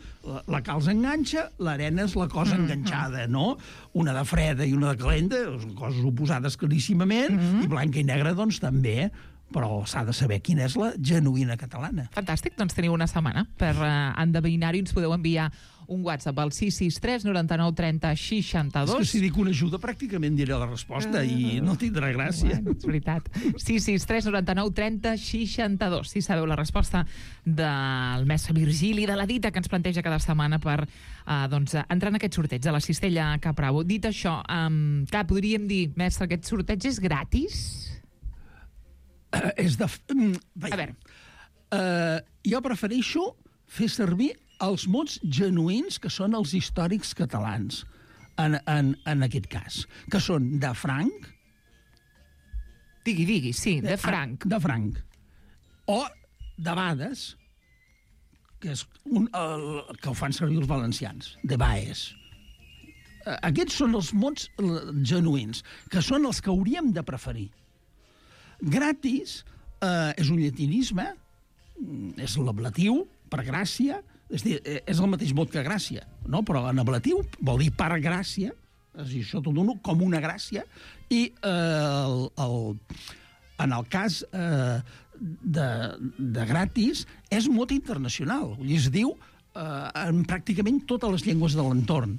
La calç enganxa, l'arena és la cosa enganxada, no? Una de freda i una de calenta, són coses oposades claríssimament, i blanca i negra, doncs, també, però s'ha de saber quina és la genuïna catalana. Fantàstic, doncs teniu una setmana per endevinar-ho i ens podeu enviar un WhatsApp al 663 99 30 62. És que si dic una ajuda pràcticament diré la resposta i no tindrà gràcia. És veritat. 663 99 30 62. Si sabeu la resposta del mestre Virgili, de la dita que ens planteja cada setmana per entrar en aquest sorteig de la cistella Caprabo. Dit això, clar, podríem dir, mestre, aquest sorteig és gratis? A veure, jo prefereixo fer servir els mots genuïns que són els històrics catalans en aquest cas, que són de franc... Digui, sí, de franc. De franc. O debades, que és que ho fan servir els valencians, debaes. Aquests són els mots genuïns, que són els que hauríem de preferir. Gratis és un llatinisme, és l'ablatiu, per gràcia, és dir, és el mateix mot que gràcia, no? Però en ablatiu vol dir per gràcia, és a dir, això t'ho dono com una gràcia, i en el cas de gratis és mot internacional, es diu en pràcticament totes les llengües de l'entorn.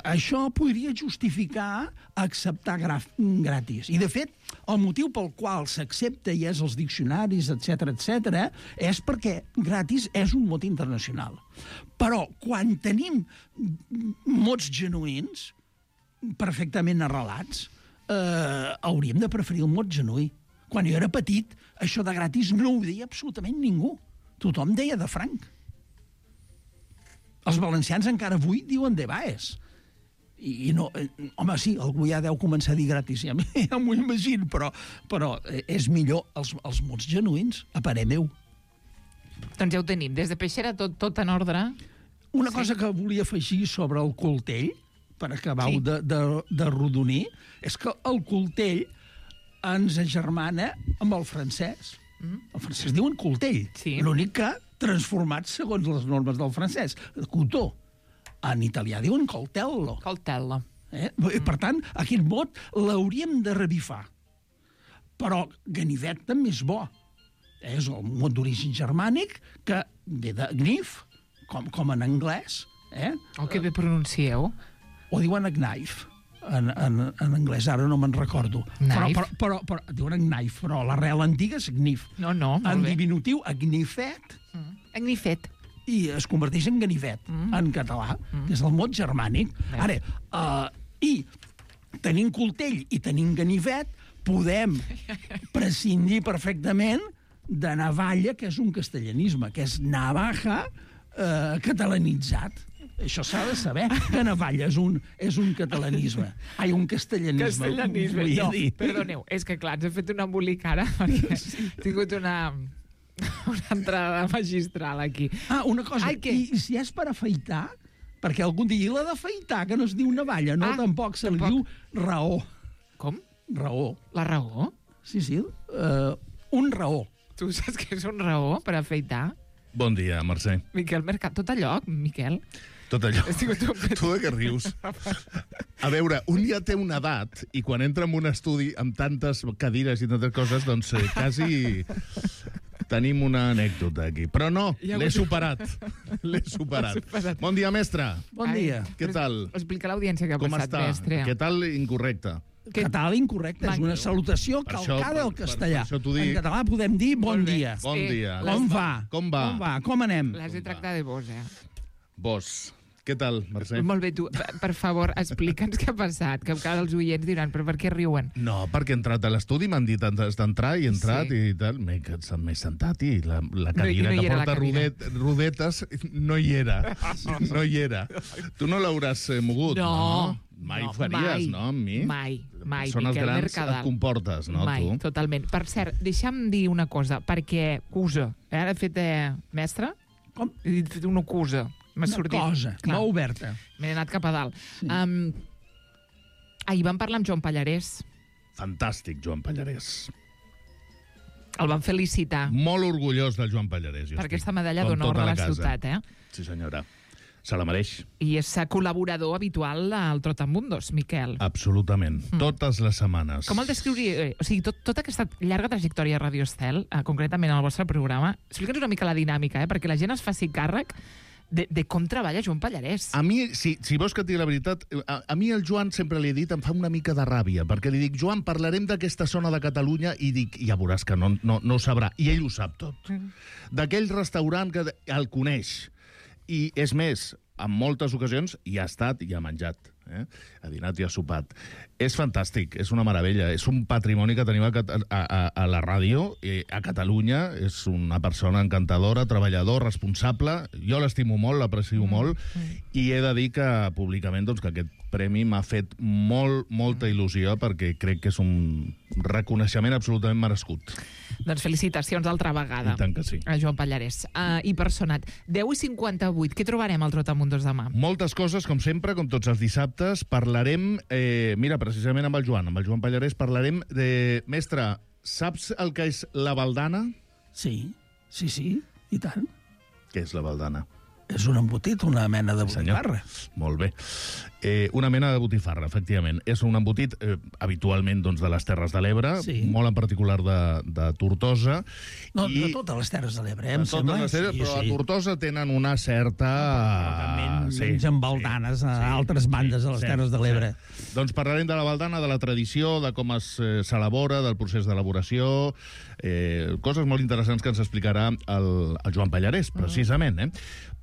Això podria justificar acceptar gratis. I, de fet, el motiu pel qual s'accepta i és els diccionaris, etc., és perquè gratis és un mot internacional. Però quan tenim mots genuïns, perfectament arrelats, hauríem de preferir el mot genuí. Quan jo era petit, això de gratis no ho deia absolutament ningú. Tothom deia de franc. Els valencians encara avui diuen de baes. I no, home, sí, algú ja deu començar a dir gratis, ja m'ho imagino, però és millor els mots genuïns, a parer meu. Doncs ja ho tenim. Des de Peixera, tot en ordre. Una cosa que volia afegir sobre el Coltell, per acabar-ho de rodonir, és que el Coltell ens agermana amb el francès. El francès diuen Coltell. L'únic que transformat segons les normes del francès. Cotó. En italià diuen coltello. Coltello. Per tant, aquest mot l'hauríem de revifar. Però ganivet també és bo. És el mot d'origen germànic que ve de gnif, com en anglès. Que bé pronuncieu. O diuen knife. En anglès, ara no me'n recordo. Però diuen knife, però l'arrel antiga és gnif. No, molt bé. En diminutiu, agnifet. Agnifet. I es converteix en ganivet, en català, que és el mot germànic. Ara, i tenint coltell i tenint ganivet, podem prescindir perfectament de navalla, que és un castellanisme, que és navaja catalanitzat. Això s'ha de saber, que navalla és un catalanisme. Ai, un castellanisme. No, perdoneu, és que clar, ens he fet un embolic ara, perquè he tingut una entrada magistral aquí. Una cosa, i si és per afaitar, perquè algun dia l'ha d'afaitar, que no es diu navalla, no, tampoc se li diu raó. Com? Raó. La raó? Sí, un raó. Tu saps què és un raó per afaitar? Bon dia, Mercè. Miquel Mercat, tot allò, Miquel? Tot allò. Tu de què rius? A veure, un ja té una edat i quan entra en un estudi amb tantes cadires i tantes coses, doncs quasi tenim una anècdota aquí. Però no, l'he superat. L'he superat. Bon dia, mestre. Bon dia. Què tal? Explica a l'audiència què ha passat, mestre. Què tal incorrecte? Català incorrecte, és una salutació calcada al castellà. En català podem dir bon dia. Bon dia. Com va? Com va? Com anem? L'has de tractar de vos, Vos. Què tal, Mercè? Molt bé, tu, per favor, explica'ns què ha passat, que cada els oients diran, però per què riuen? No, perquè he entrat a l'estudi, m'han dit antes d'entrar, i he entrat i tal, m'he sentat i la cadira que porta rodetes no hi era. No hi era. Tu no l'hauràs mogut, no? Mai ho faries, no, amb mi? Mai. Són els grans, et comportes, no, tu? Mai, totalment. Per cert, deixa'm dir una cosa, perquè cusa. Ara he fet mestre? Com? He fet una cusa. Una cosa, no oberta. M'he anat cap a dalt. Ahir vam parlar amb Joan Pallarès. Fantàstic, Joan Pallarès. El vam felicitar. Molt orgullós del Joan Pallarès. Per aquesta medalla d'honor de la ciutat, Sí, senyora. Se la mereix. I és col·laborador habitual al Trotamundos, Miquel. Absolutament. Totes les setmanes. Com el descriuria? O sigui, tota aquesta llarga trajectòria a Radio Estel, concretament en el vostre programa, explica'ns una mica la dinàmica, perquè la gent es faci càrrec de com treballa Joan Pallarès. A mi, si vols que et digui la veritat, a mi el Joan sempre li he dit, em fa una mica de ràbia, perquè li dic, Joan, parlarem d'aquesta zona de Catalunya, i dic, ja veuràs que no ho sabrà. I ell ho sap tot. D'aquell restaurant que el coneix. I és més, en moltes ocasions hi ha estat i ha menjat Ha dinat i ha sopat. És fantàstic, és una meravella. És un patrimoni que tenim a la ràdio, a Catalunya. És una persona encantadora, treballador, responsable. Jo l'estimo molt, l'aprecio molt, i he de dir que públicament doncs, que aquest premi m'ha fet molta il·lusió, perquè crec que és un reconeixement absolutament merescut. Doncs felicitacions altra vegada. I tant que sí. A Joan Pallarès. I Personat. 10:58. Què trobarem al Trotamundos demà? Moltes coses, com sempre, com tots els dissabtes. Parlarem, mira, precisament amb el Joan Pallarès, parlarem de... Mestre, saps el que és la baldana? Sí, i tant. Què és la baldana? És un embotit, una mena de botifarra. Molt bé. Una mena de botifarra, efectivament. És un embotit habitualment doncs, de les Terres de l'Ebre, molt en particular de Tortosa. No, de totes les Terres de l'Ebre, em sembla. Però a Tortosa tenen una certa... mengen baldanes a altres bandes de les Terres de l'Ebre. Doncs parlarem de la baldana, de la tradició, de com s'elabora, del procés d'elaboració, coses molt interessants que ens explicarà el Joan Pallarès, precisament.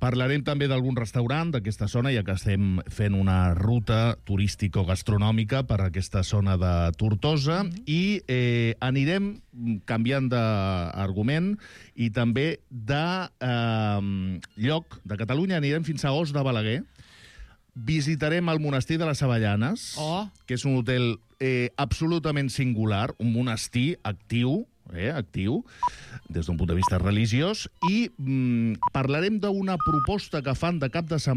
Parlarem també d'algun restaurant d'aquesta zona, ja que estem fent una ruta turístico-gastronòmica per aquesta zona de Tortosa, i anirem canviant d'argument i també de lloc de Catalunya, anirem fins a Os de Balaguer. Visitarem el monestir de les Avellanes, que és un hotel absolutament singular, un monestir actiu, des d'un punt de vista religiós, i parlarem d'una proposta que fan de cap de setmana